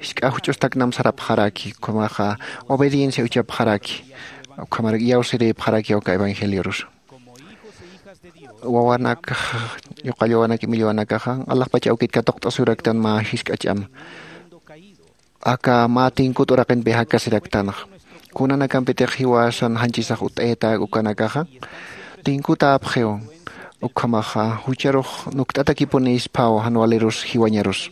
jisk'a juch'ustaknam sarapxaraki ukhamaxa obediencia uchapxaraki. Ukhamarak iyawsirïpxarakiw aka evangeliorusa. Wawanakax, yuqall wawanak imillwanakaxa alaxpach awkit katuqt'asiraktan mä jisk'a ch'ama aka mä tinkut uraqinpi jakasiraktanxa. Kunanakampitix jiwasan janchisax ut'ayatäk ukanakaxa tinkutäpxiw. Ukhamaxa jucharux nukt'atakipunïsphaw jan walirus jiwañarus.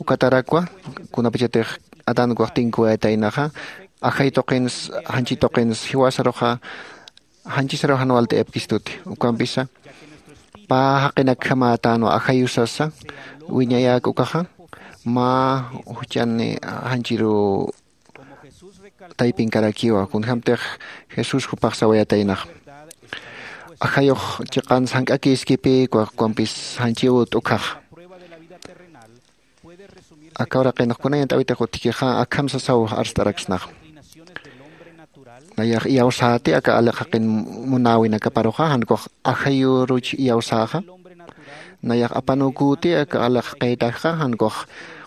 Ukatarakwa kunapachatix adankuwax tinkuwayataynaxa ajay tuqins janchi tuqins jiwasaruxa janchisaruw jan walt'ayapkistuti. Ukampisa pä jaqinakjamä tän ajayusasa wiñayäk ukaxa mä juchan janchiruw taypinkarakiwa kunjämtix jesús jupax sawayataynaxa. Ajayux chiqans jank'akïskipïkwa ukampis janchiw t'ukhaxa. Aka uraqinx kuna yant'äwitix utjkixa akham sasaw arst'araksnaxa. Nayax iyawsäti aka aliq jaqin munäwinakaparuxa jan ukax ajayüruch iyawsäxa. Nayax apanuküti aka aliq jaqïtakixa jan ukax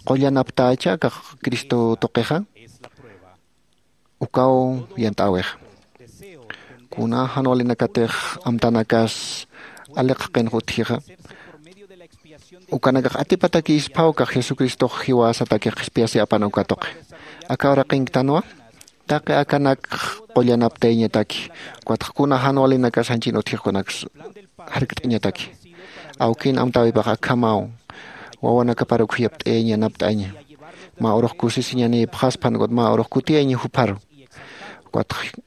qullanaptächa aka cristo tuqixa. Ukaw yant'äwixa. Kuna jan walinakatix amtanakas aliq jaqinx utjixa ukanakax atipatakïsphaw kax jesucristox jiwasatakix qhispiyasi apan uka tuqi. Aka uraqinktanwa taqi akanakx qullanaptayañataki. Ukatx kuna jan walinakas janchin utjix ukanaks jarkt'añataki. Awkin amtäwipax akhamaw wawanakaparuk khuyapt'ayañ yanapt'aña. Mä urux kusisiñanïpxaspan ukat mä urux kutiyañ jupharu. Ukatx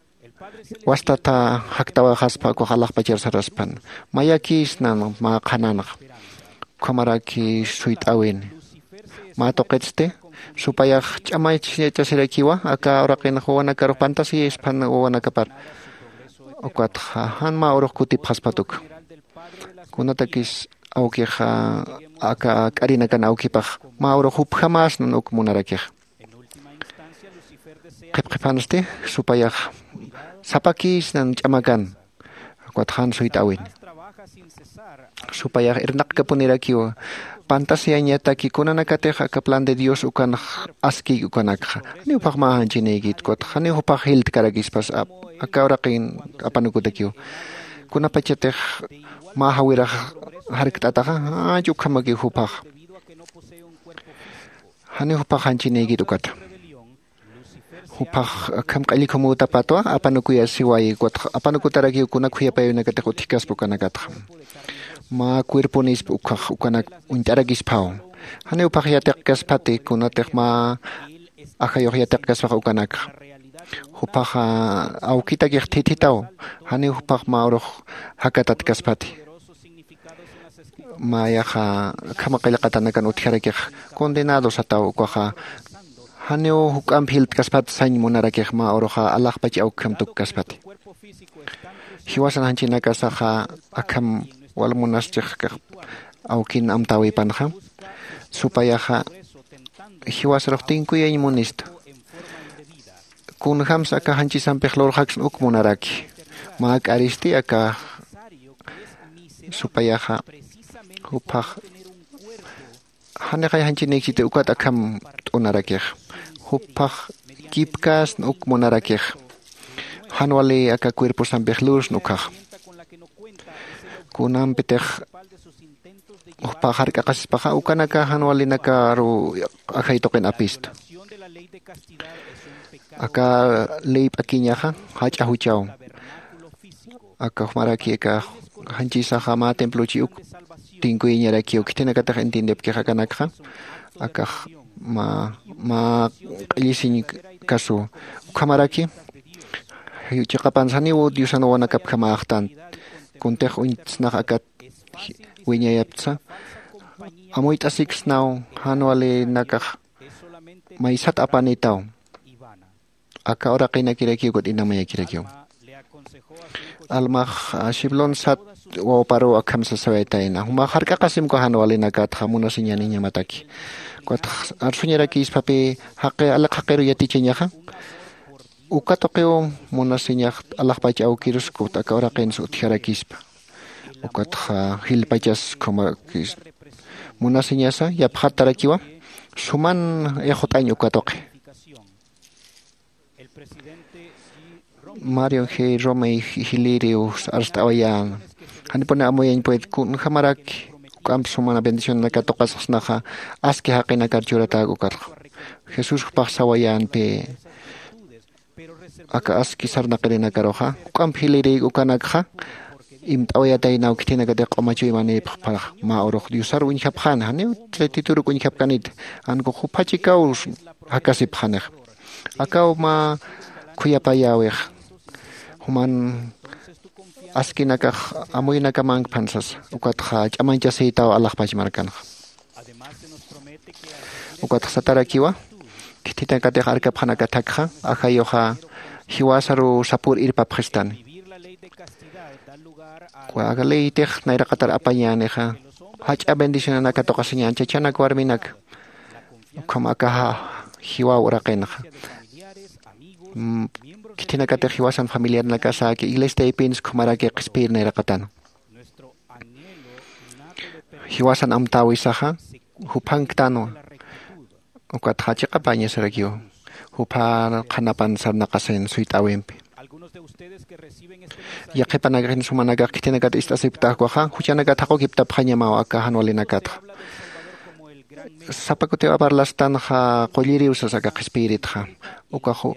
wastata jaktawäxaspa ukax alaxpachar saraspan mayakïsnan mä qhananxa. Ukhamaraki suyt'äwini mä tuqitsti supayax ch'amachachasirakiwa aka uraqinx wawanakarux pantasiyaspan wawanakapar. Ukatxa jan mä urux kutipxaspat uka kunatakis awkixa aka k'arinakan awkipax mä urux jupjamäsnan uk munarakixa. Qhipqhiphansti supayax sapakïsnan ch'amakan. Ukat jan suyt'äwin supayax irnaqkapunirakiw pantasiyañataki kunanakatix aka plan de dios ukanx askïki ukanakxa. Janiw juphax mä janchinïkit ukatx janiw juphax jiltkarakispas aka uraqin apanukutakiw kunapachatix mä jawirax jarkt'ataxa janch ukhamakiw juphax. Janiw juphax janchinïkit ukata juphax akham q'allikhumütapatwa apanukuyasiwayi ukatx apanukutarakiw kuna khuyapayawinakatix utjkaspa ukanakatxa. Mä cuerponispa ukhax ukanak uñt'arakisphaw. Janiw juphax yatiqkaspati kunatix mä ajayux yatiqkaspax ukanakxa juphaxa awkitakix thithitaw. Janiw juphax mä urux jakatatkaspati mayaxa akhama qillqatanakan utjarakix condenado sataw ukaxa janiw juk'amp jilt'kaspat sañ munarakix mä uruxa alaxpach awkham tukkaspati. Jiwasan janchinakasaxa akham wal munaschix kax awkin amtäwipanxa supayaxa jiwasarux tinkuyañ munista. Kunjämsa aka janchisampix lurxaksna uk munaraki mä k'aristi aka supayaxa juphax janixay janchinïkchiti ukat akham t'unarakix juphax kipkäsna uk munarakix jan wali aka cuerposampix lursna ukhaxa. Kunampitix juphax jark'aqasispaxa ukanaka jan walinakaruw ajay tuqin apista. Aka ley p'akiñaxa jach'a juchaw aka jumaraki aka janchisaxa mä templochi uk tinkuyiñarakiw khitinakatix entiendepkix akanakxa akax mä q'illisiñ kasuw ukhamaraki chiqapansa janiw diosan wawanakapjamäxtan kuntix uñtsnax akat wiñayaptsa amuyt'asiksnaw jan walinakax maysat apanitaw. Aka uraqinakirakiw ukat inamayakirakiw. Almax shiblon sat wawparuw akham sasawaytayna, jumax jark'aqasimku jan walinakatxa munasiñaniñamataki. Ukatx arsuñarakïspapï jaqi aliq jaqiru yatichañaxa, uka tuqiw munasiñax alaxpach awkirus kut aka uraqins utjarakispa. Ukatxa jilpachas khumakis munasiñasa yapxatarakiwa suman ixut'añ uka tuqi. Mario g romey jiliriw arst'awayäna, janipuni amuyañ pued kunjamarak juk'amp sumana bendicionanaka tuqasxsnaxa aski jaqinakar churatäk ukatxa. Jesús jupax sawayänpï aka aski sarnaqirinakarux juk'amp jilirïk ukanakxa imt'awayataynaw khithinakatix q'uma chuymanïpxparax mä urux diosar uñjapxäna janiw tituru uñjapkanita. Jan kux jupha chikaw jakasipxanix akaw mä khuyapayäwix juman askinakax amuyunakamankpan sasa ukatxa ch'amañchasïtaw alaxpach markanxa. Ukatxa satarakiwa khithinakatix arkapxanakatakxa ajayuxa jiwasaruw sapür irpapxistani. Aka leytix nayraqatar apañänixa jach'a bendicionanaka tuqasiñän chachanak warminak ukham akaxa jiwaw uraqinxa. Khithinakatix jiwasan familiarnakasäki iglesiataypins ukhamaraki qhispiyir nayraqatana. Jiwasan amtäwisaxa juphanktanwa. Ukatxa chiqapäñasarakiw jupha qhanapan sarnaqasin suyt'äwimpi. Yaqhipanakaxin sumanakax khithinakat ist'asipktaxkuxa juchanakat jaqukiptapxañamaw aka jan walinakatxa. Sapa kutiw aparlastanxa qulliriw sasa aka qhispiyiritxa ukax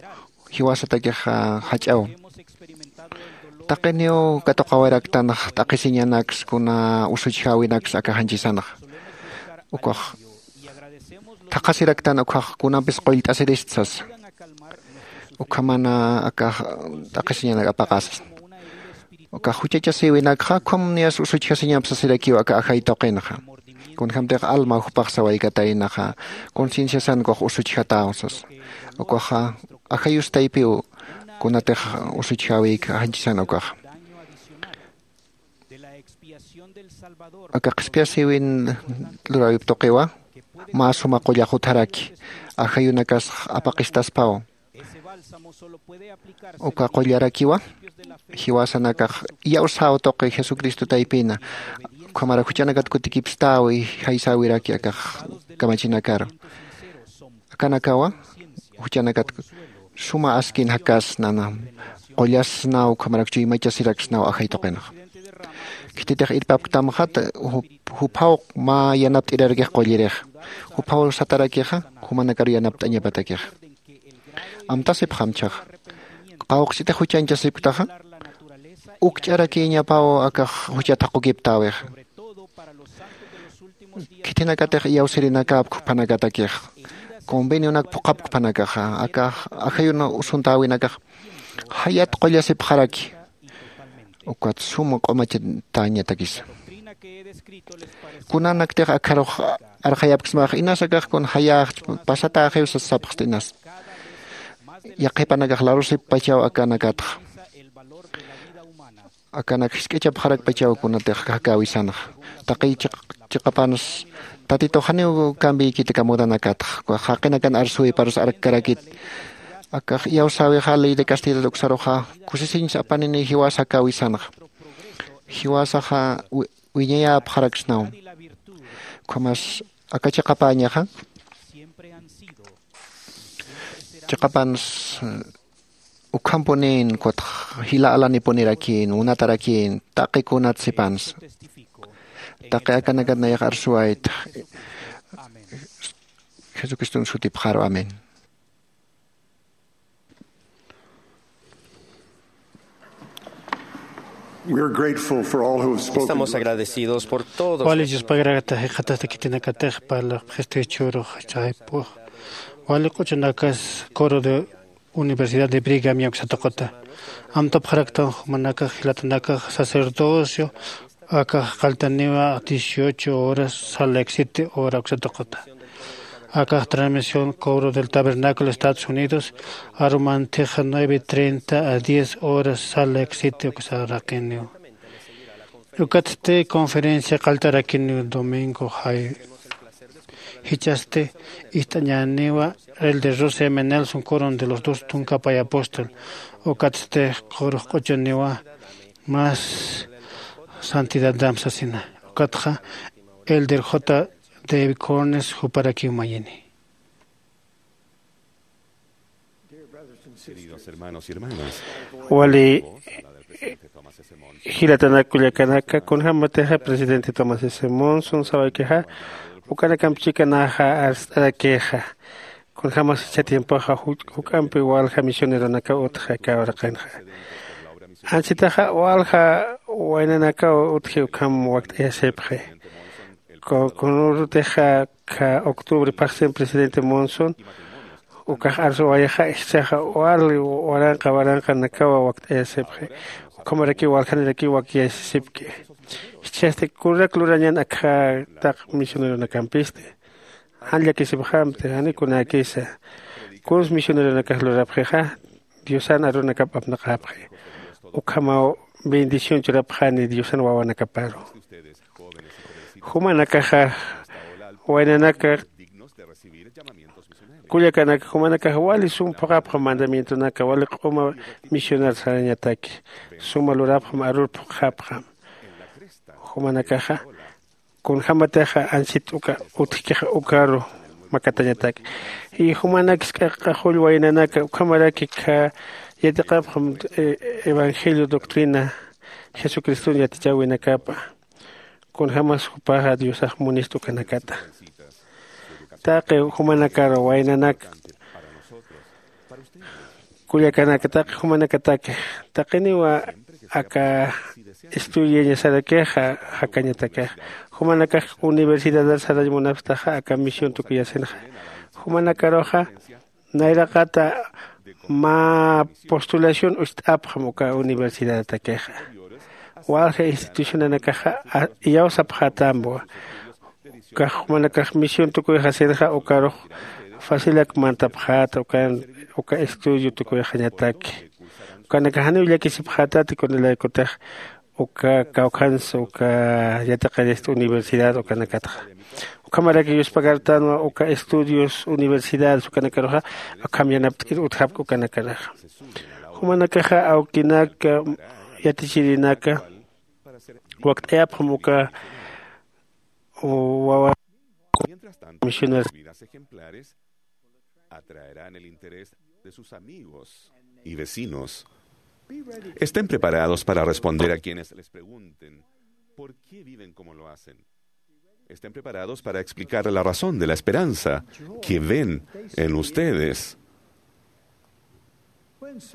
jiwasatakixa jach'aw. Taqiniw katuqawaraktanx t'aqhisiñanaks kuna usuchjäwinaks aka janchisanxa. Ukax thaqhasiraktan ukkhax kunampis qullt'asirist sasa. Ukhamana akax t'aqhisiñanak apaqasas ukax juchachasïwinakxa ukham niyas usuchjasiñamp sasirakiw aka ajay tuqinxa. Kunjämtix alma jupax sawaykataynaxa concienciasan ukax usuchjatäw sasa. Ukaxa ajayustaypiw kunatix usuchjäwïk janchisan ukaxa. Aka qhispiyasïwin luräwip tuqiwa mä suma qullax utjaraki ajayunakas apaqistaspaw. Uka qullarakiwa jiwasanakax iyawsäw tuqi jesucristo taypina ukhamarak juchanakat kutikipstäwi jaysäwiraki akax kamachinakaru. Akanakawa juchanakat suma askin jakasnana qullasnaw ukhamarak chuymachasiraksnaw ajay tuqinxa. Khititix irpapktamxat juphaw mä yanapt'irarakix qullirixa. Juphaw satarakixa jumanakaru yanapt'añapatakixa. Amtasipxamchaxa qawqchitix juchañchasipktaxa ukch'arakïñapaw akax juchat jaqukiptäwixa. Khithinakatix iyawsirinakäpk juphanakatakix convenionak phuqhapkpanakaxa aka ajayuna usuntäwinakax jayat qullasipxaraki. Ukat suma q'umachatäñatakisa kunanaktix akharux arxayapksmax inas akax kun jayäxch pasatäxiw sas sapxsta inas. Yaqhipanakax larusippachaw akanakatxa akanak jisk'ichapxarakpachaw kunatix jakäwisanxa. Taqi chiqapansa tatitux janiw cambiykit aka mudanakatxa jaqinakan arsuwiparus arkkarakit. Akax iyawsäwixa ley de castidat uksaruxa kusisiñsa apanini jiwas jakäwisanxa. Jiwasaxa wiñayäpxaraksnaw. Ukhamas aka chiqapäñaxa chiqapans ukhampunin kutx jila alanipunirakïn munatarakin taqi kunat sipansa. Taqi akanakat nayax arsuwayta jesucriston sutipxaru amén. Estamos agradecidos por todos. Wali yuspagrakta jikxatasta khitinakatix parlapxisti chhurux chaypux wali q'uchunakas coro de universidad de brigam yaksatuquta amtapxaraktan jumanakax jilatanakax sacerdocio akax qaltaniwa dieciocho horas salexite hora uksatuquta. Akax transmisión cobro del tabernáculo estados unidos arumantixa nueve treinta a diez horas sala exite uksaraqiniw. Ukatsti conferencia qaltarakiniw domingo jay. Jichhasti ist'añäniwa el de rose m nelson coron de los dos tunka pay apóstol. Ukatsti qurux q'uchuniwa más santidad dam sasina. Ukatxa el del j david cornes juparakiw mayini. Wali jilatanak kullakanaka kunjämatixa presidente tomás s monson sawaykixa ukanakamp chikanaxa arst'arakixa. Kunjämas jichha tiempoxa juk'ampi walja misioneronakaw utja aka uraqinxa. Ansitaxa walja waynanakaw utji ukham wakt'ayasipxi. Kunürutixa octubre phaxsin presidente monson ukax arsuwayaxa jichhaxa wali waranqa waranqanakawa wakt'ayasipxi. Ukhamarakiw waljanirakiw wakyasisipki. Jichhasti kurak lurañan akha taq misioneronakampisti. Jan llakisipxamti jani kunäkisa. Kuns misioneronakax lurapxixa diosan arunakap apnaqäpxi. Ukhamaw bendición churapxani diosan wawanakaparu. Jumanakaxa waynanaka kullakanaka jumanakax wali sum phuqhapxam mandamientonaka wali q'uma misionar sarañataki. Suma lurapxam arur phuqhapxam. Jumanakaxa kunjämatixa ansit uka utjkixa ukaru makatañatak. Y jumanakis k'aqaxull waynanaka ukhamaraki kha yatiqapxam evangelio doctrina jesucriston yatichäwinakapa. Kunjämas jupaxa diosax munist ukanakata. Taqi jumanakar waynanaka kullakanaka taqi jumanakataki taqiniwa aka estudiañasarakixa jakañatakixa. Jumanakax universidadar sarañ munapstaxa aka misión tukuyasinxa. Jumanakaruxa nayraqata mä postulación ucht'apxam uka universidadatakixa. Walja institucionanakaxa iyawsapxätambwa. Ukax jumanakax misión tukuyxasinxa ukarux facilak mantapxäta uka estudio tukuyxañataki. Ukanakax janiw llakisipxätati kunalaykutix uka kawkhansa uka yatiqirista universidad ukanakatxa. Ukhamaraki yuspagartanwa uka estudios universidades ukanakaruxa akham yanapt'ir utjapki ukanakaraxa. Jumanakaxa awkinaka yatichirinaka wakt'ayapxam uka wawa misionar atraerán el interés de sus amigos y vecinos. Estén preparados para responder a quienes les pregunten por qué viven como lo hacen. Estén preparados para explicar la razón de la esperanza que ven en ustedes.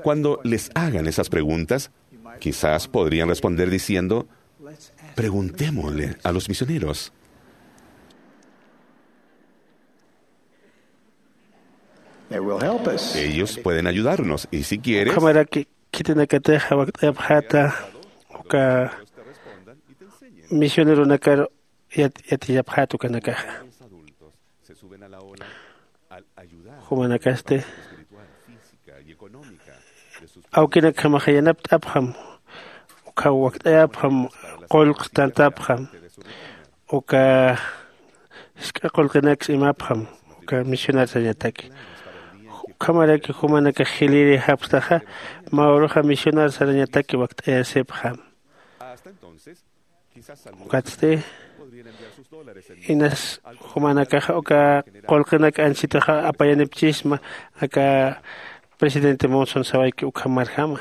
Cuando les hagan esas preguntas, quizás podrían responder diciendo: "Preguntémosle a los misioneros". Ellos pueden ayudarnos y si quieres, ukhamaraki khitinakatixa wakt'ayapxäta uka misioneronakar yatiyapxäta ukanakaxa. Jumanakasti awkinakjamaxa yanapt'apxam. Ukhaw wakt'ayapxam qullq tantapxam. Uka jisk'a qullqinaksa imapxam uka misionar sarañataki. Ukhamaraki jumanakax jilïri japstaxa mä uruxa misionar sarañataki wakt'ayasipxam. Ukatsti inas jumanakaxa uka qullqinak ansitaxa apayanipchisma aka presidente monson sawayki ukhamarjama.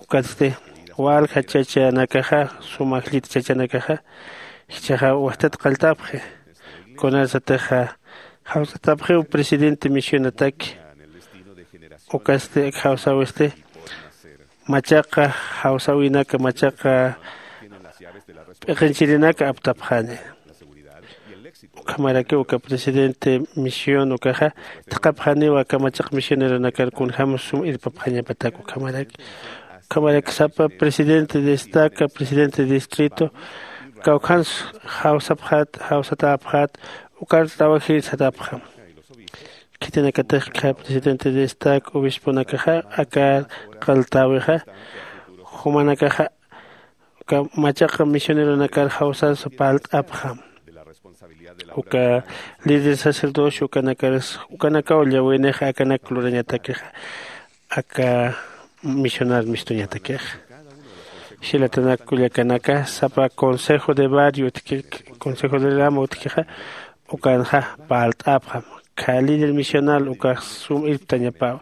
Ukatsti walja chachanakaxa suma jllit chachanakaxa jichhaxa wajtat qalltapxi. Kunarsatixa jawsatapxiw presidente misionataki. Ukatsti jawsawisti machaqa jawsäwinaka machaqa p'iqinchirinaka aptapxani. Ukhamarakiw uka presidente misión ukaxa thaqhapxaniwa aka machaqa misioneronakar kunjämas sum irpapxañapatak ukhamaraki. Ukhamaraki sapa presidente de estaca presidente de distrito kawkhans jawsapxät jawsatäpxät. Ukar trabajir satapxam. Khitinakatix kha presidente de estac obisponakaxa akar qaltäwixa, jumanakaxa uka machaq misioneronakar jawsas parlt'apxam. Uka líder sacerdocio ukanakaras ukanakaw llawinix akanak lurañatakixa aka misionar mistuñatakixa. Jilatanak kullakanaka sapa consejo de barrio utki, consejo de rama utkixa ukanxa parlt'apxam. Kha líder misional ukax sum irptañapaw.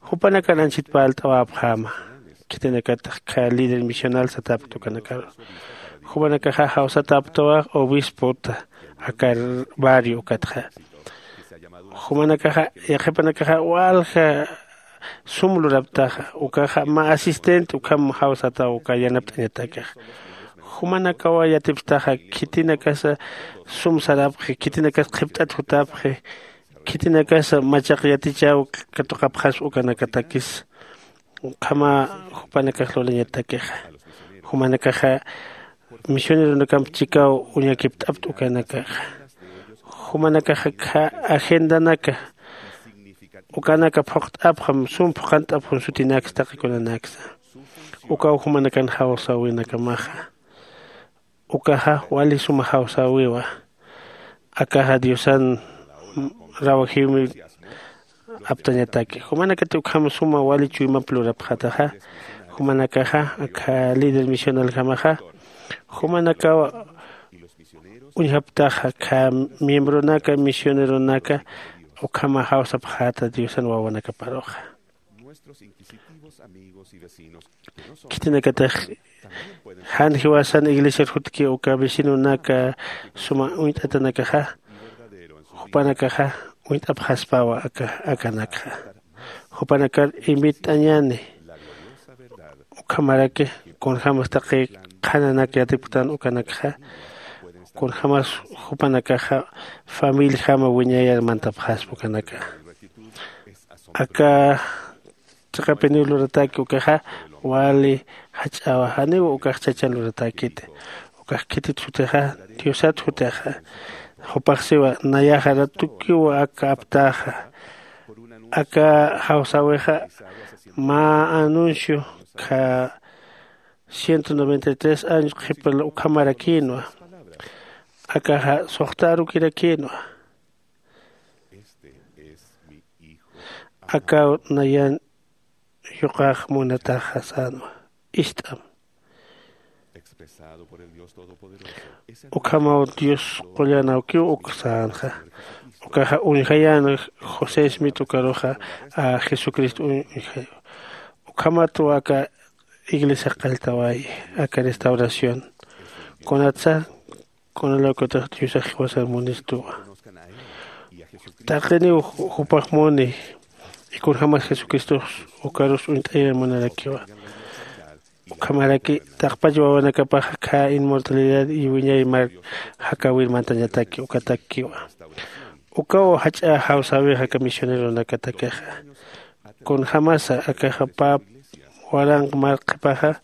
Jupanakan anchit parlt'awapxäma. Khitinakatix kha líder misional satapkta ukanakaru. Jumanakaxa jawsatapktawa obispota aka barrio ukatxa. Jumanakaxa yaqhipanakaxa walja sum luraptaxa ukaxa mä asistente ukham jawsataw uka yanapt'añatakixa. Jumanakawa yatipktaxa khitinakasa sum sarapxi, khitinakas qhipt'at jutapxi, khitinakasa machaq yatichäw katuqapxaspa ukanakatakis. Ukhama jupanakax lurañatakixa. Jumanakaxa misioneronakamp chikaw uñakipt'apta ukanakaxa. Jumanakaxa kha agendanaka ukanaka phuqt'apxam, sum phuqant'apxam sutinaksa taqikunanaksa. Ukaw jumanakan jawsäwinakamaxa. Ukaxa wali suma jawsäwiwa. Akaxa diosan rawajiwmi aptañataki. Jumanakati ukham suma wali chuymap lurapxataxa. Jumanakaxa akha líder misionaljamaxa jumanakaw uñjaptaxa kha miembronaka misioneronaka ukhama jawsapxäta diosan wawanakaparuxa. Khitinakatix jan jiwasan iglesiar jutki uka vecinonaka suma uñt'atanakaxa jupanakaxa uñt'apxaspawa aka akanakxa. Jupanakar invitt'añäni ukhamaraki kunjämas taqi qhananak yatipktan ukanakxa kunjämas jupanakaxa familiajama wiñayar mantapxaspa ukanaka. Aka chiqapiniw lurataki ukaxa wali jach'awa janiw ukax chachan luratakiti. Ukax khitit jutixa diosat jutixa jupaxsiwa nayaxa ratukiw aka aptaxa. Aka jawsäwixa mä anuncio kha ciento noventa y tres años qhipil ukhamarakïnwa. Akaxa suxta arukirakïnwa. Akaw nayan yuqax munataxa sänwa. Ist'am. Ukhamaw dios qullan awkiw uk sänxa. Ukaxa uñjayän josé smit ukaruxa jesucristo uñjayu. Ukhamatwa aka iglesia qalltawayi aka restauración. Kunatsa kunalaw kutix diosax jiwasan munistuwa. Taqiniw jupax muni ikunjamas jesucristox ukarus uñt'ayar munarakiwa. Ukhamaraki taqpach wawanakapax kha inmortalidad iwiñay mar jakäwir mantañataki ukatakiwa. Ukaw jach'a jawsäwix aka misioneronakatakixa. Kunjämasa akaxa pap waranq marqhipaxa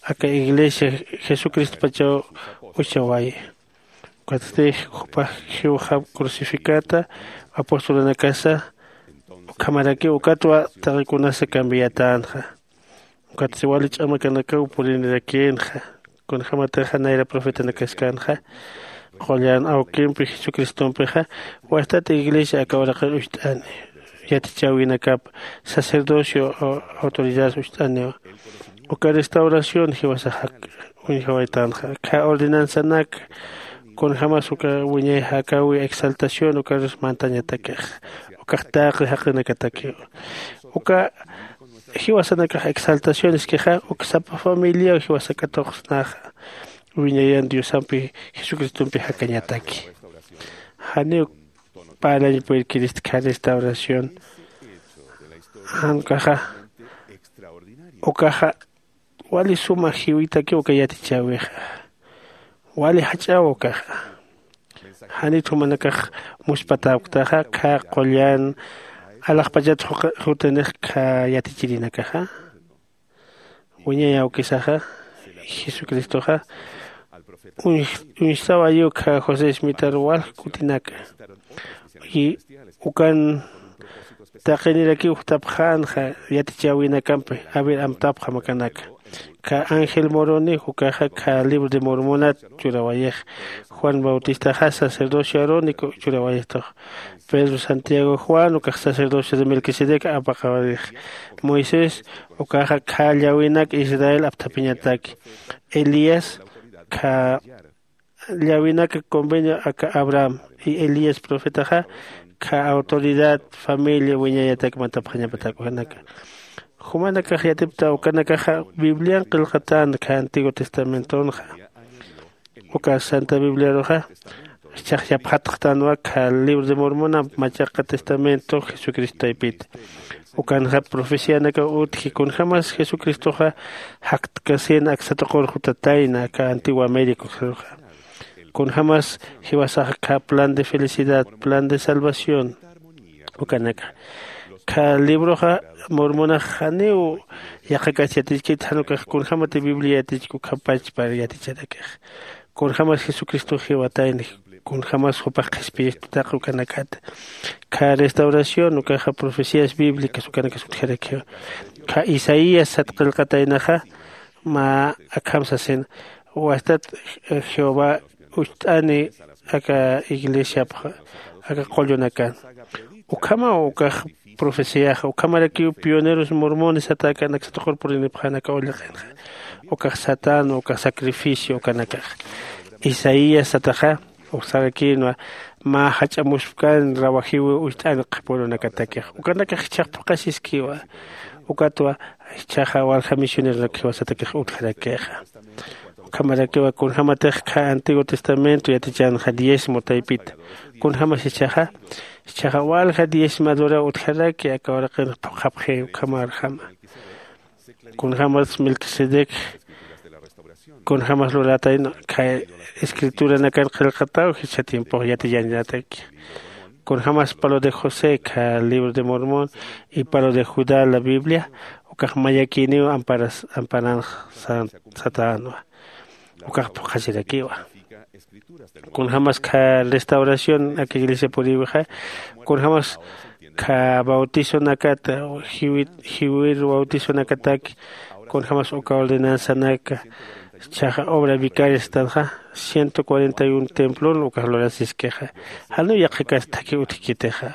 aka iglesia jesucristopachaw uchawayi. Ukatsti jupax jiwxap crucificata apostolanakasa ukhamaraki ukatwa taqikunasa cambiatänxa. Ukatsti wali ch'amakanakaw purinirakïnxa. Kunjämatixa nayra profetanakaskänxa qullan awkimpi jesucristompixa wajtat iglesia aka uraqir ucht'ani yatichäwinakap sacerdocio autoridades ucht'aniwa. Uka restauración jiwasax uñjawaytänxa kha ordenanzanak kunjämas uka wiñay jakäwi exaltación ukarus mantañatakix. Ukax taqi jaqinakatakiwa. Uka jiwasanakax exaltacioneskixa uk sapa familiaw jiwasa katuqsnaxa wiñayan diosampi jesucristompi jakañataki. Janiw parlañ puyrkirist kha restauración. Jan ukaxa ukaxa wali suma jiwitaki uka yatichäwixa. Wali jach'aw ukaxa. Janit jumanakax muspatapktaxa kha qullan alaxpachat jutanix kha yatichirinakaxa. Wiñay awkisaxa jesucristoxa uñstawayiw kha josé smitar walj kutinaka. Y ukan taqinirakiw jutapxänxa yatichäwinakampi. Aver amtapxam akanaka. Kha ángel moroni ukaxa kha libro de mormonat churawayix. Juan bautistaxa sacerdocio arónico churawayixtux. Pedro santiago juan ukax sacerdocio de melquisedec apaqawarix. Moisés ukaxa kha llawinak israel apthapiñataki. Elías kha llawinak convenio aka abraham. Y elías profetaxa kha autoridad familia wiñayatak mantapxañapatak ukanaka. Jumanakax yatipta ukanakaxa biblian qillqatän kha antiguo testamentonxa. Uka santa bibliaruxa jichhax yapxatxtanwa kha libro de mormonamp machaqa testamento jesucristo taypita. Ukanxa profecianakaw utji kunjämas jesucristoxa jaktkasïn aksa tuqur jutatayna aka antigua américa uksaruxa. Kunjämas jiwasaxa kha plan de felicidad plan de salvación. Ukanaka kha libroxa mormonax janiw yaqhakas yatichkit jan ukax kunjämati biblia yatichki ukhapachpar yaticharakix. Kunjämas jesucristox jiwatayni kunjämas jupax qhispiyistutaq ukanakata. Kha restauración ukaxa profecías bíblicas ukanakas utjarakiwa. Kha isaías sat qillqataynaxa mä akham sasin wastat jehová ucht'ani aka iglesiapxa aka qullunakan. Ukhamaw ukax profeciaxa ukhamarakiw pioneros mormones satakan aksa tuqur purinipxän aka ullaqinxa. Ukax satänwa ukax sacrificio ukanakax. Isaías sataxa uksarakïnwa mä jach'amuspkän rawajiwi ucht'ani qhapurunakatakix ukanakax jichhax phuqhasiskiwa. Ukatwa jichhaxa walja misioneronak jiwasatakix utjarakixa. Ukhamarakiwa kunjämatix kha antiguo testamento yatichänxa diezmo taypita. Kunjämas jichhaxa jichhaxa walja diezmadora utjaraki aka uraqin phuqhapxi ukhamarjama. Kunjämas melquisedec kunjämas lurätayna kha escrituranakan qillqataw jichha tiempox yatiyañataki. Kunjämas palo de josé kha libro de mormón y palo de judá la biblia ukax mayakïniw amparanx satänwa. Ukax phuqhasirakiwa. Kunjämas kha restauración aka iglesia puriwixa kunjämas kha bautizonakat jiwir bautizonakataki. Kunjämas uka ordenanzanaka jichhaxa obra vicaria satanxa ciento cuarenta y un templon ukax lurasiskixa. Janiw yaqhakas thakhi utjkitixa.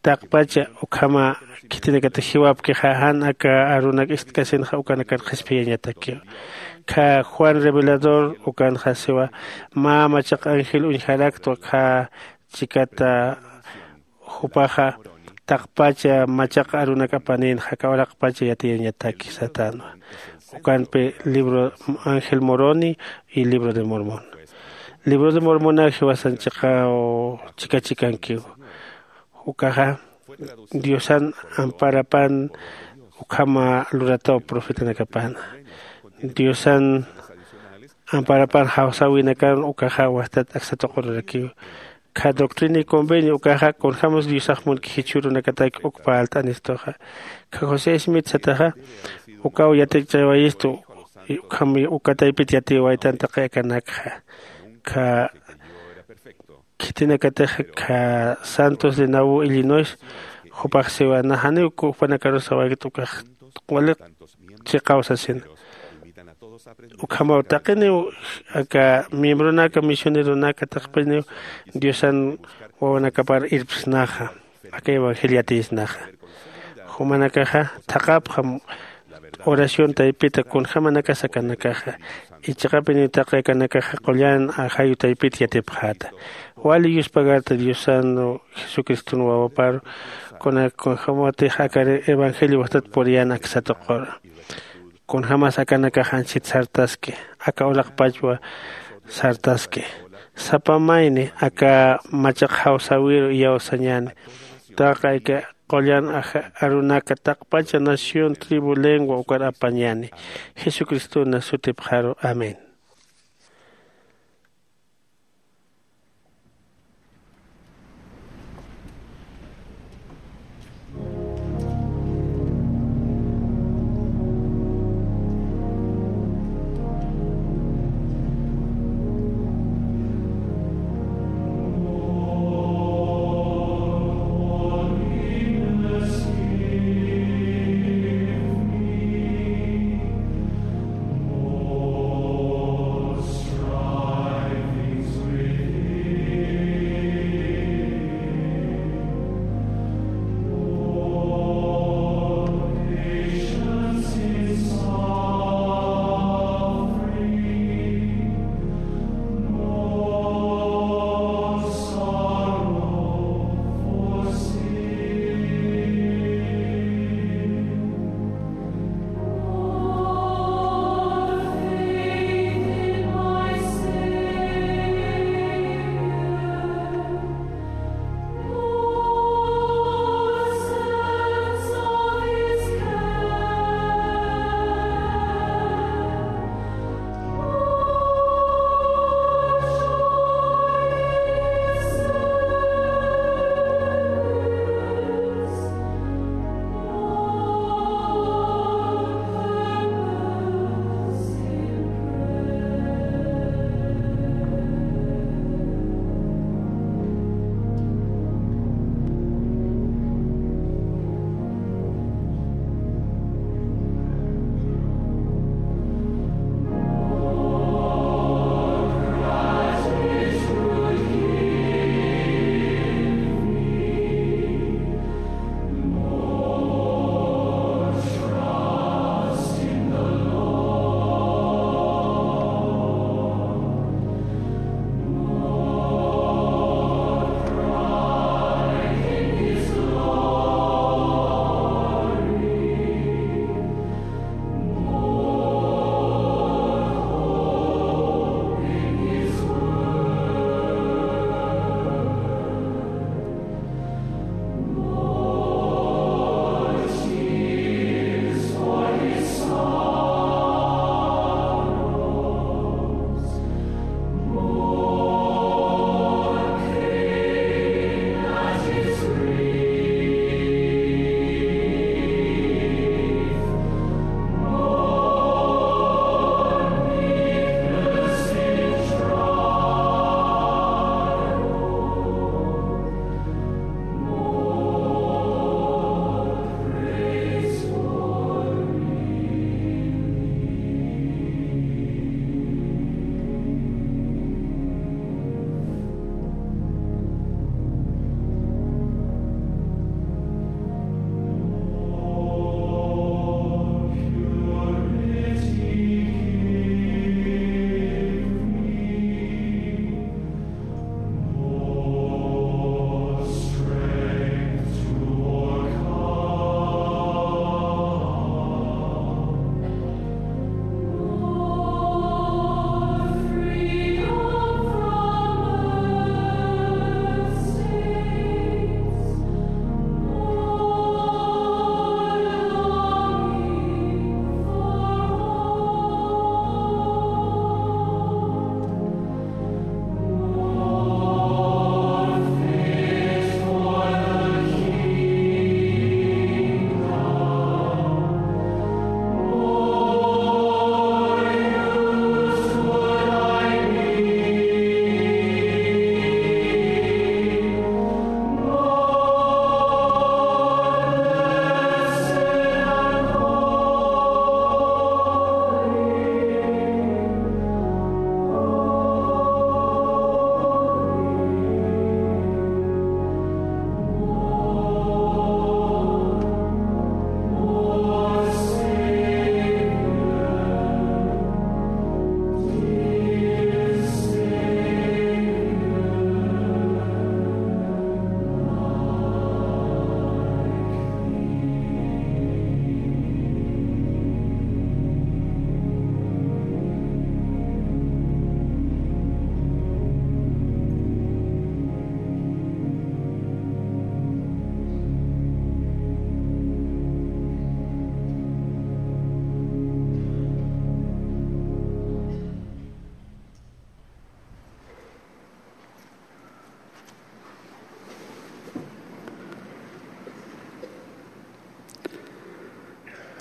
Taqpacha ukhama khitinakatix jiwapkixa jan aka arunak istkasinxa ukanakar qhispiyañatakiw. Kha juan revelador ukanxa siwa mä machaq ángel uñjaraktwa kha chikata jupaxa taqpacha machaq arunak apanïnxa aka uraqpacha yatiyañataki satänwa. Ukanpi libro ángel moroni y libro de mormón. Libro de mormonaw jiwasan chiqaw chika chikankiw. Ukaxa diosan amparapan ukhama lurataw profetanakapana. Diosan amparapan jawsäwinakan ukaxa wastat aksa tuqururakiw. Kha doctrina y convenio ukaxa kunjämas diosax munki jichhürunakataki uk parlt'anistuxa. Kha josé smith sataxa ukaw yatichäwayistu ukham uka taypit yatiyawaytan taqi akanakxa. Kha khitinakatix kha santos de nauvoo illinois jupax siwa naxaniw kujpanakarus sawaykta ukax waliq chiqaw sasina. Ukhamaw taqiniw aka miembronaka misioneronaka taqpiniw diosan wawanakapar irpsnaxa aka evangelio yatiyisnaxa. Jumanakaxa thaqhapxam oración taypita kunjämanakas akanakaxa. Ichiqapiniw taqi akanakaxa qullan ajayu taypita yatipxäta. Wali yuspagarta diosan jesucriston wawaparu kunak kunjämatix aka evangelio wastat puriyän aksa tuquru. Kunjämas akanakax anchhit sartaski aka uraqpachwa sartaski. Sapa mayni aka machaq jawsäwiru iyawsañäni. Taqi aka qullan arunaka taqpacha nación tribu lengua ukar apañäni. Jesucristona sutipxaru amén.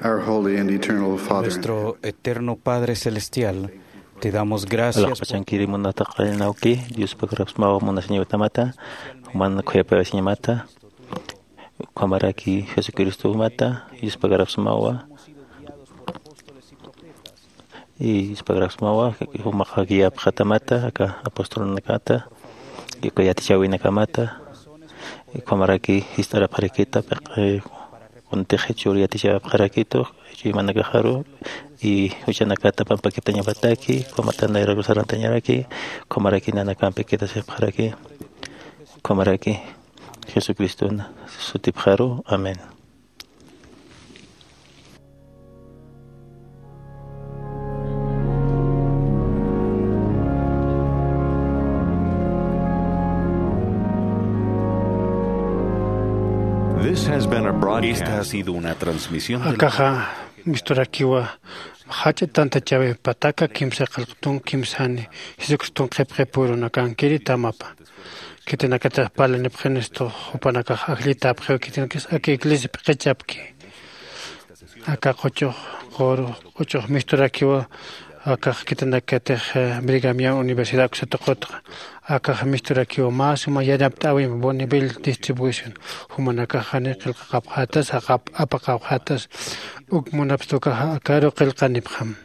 Our holy and eternal Father. Nuestro eterno Padre Celestial, te damos gracias. Alaxpachankiri munataqarinawki, Diospakarapsmawa munasiñawitamata, juman khuyapayasiñamata, ukhamaraki Jesucristomata, Diospakarapsmawa, y Diospakarapsmawa, jumaqa guiapxatamata, aka apostolnakata, y uka yatichäwinakamata, ukhamaraki jist'arapxarakita, piq'i kuntix jichhür yatichäwapxarakitu, jichhürumanakaxaru, y juchanakata pampakitañapataki, ukhamata nayraru sarantañaraki, ukhamaraki nanakampi quedasipxaraki, ukhamaraki Jesucristona sutipxaru. Amén. This has been a broadcast. Esta ha sido una transmisión de Akaxa misturakiwa jach'a tantachäwi pataka kimsa qillqtun kimsani Jesucriston qhipqipürunakankiri tamapa. Khitinakatix parlanipxinistu jupanakax ajllitäpxiw khitinakis aka iglesia p'iqichapki. Aka quchux quru quchux misturakiwa akax khitinakatix eh, Brigham Young Universidad uksa tuqutxa. Akax misturakiwa mä suma yanapt'äwimp Bonneville distribution. Jumanakax jani qillqaqapxätas jaqap apaqapxätas uk munapstukaxa akaru qillqanipxam.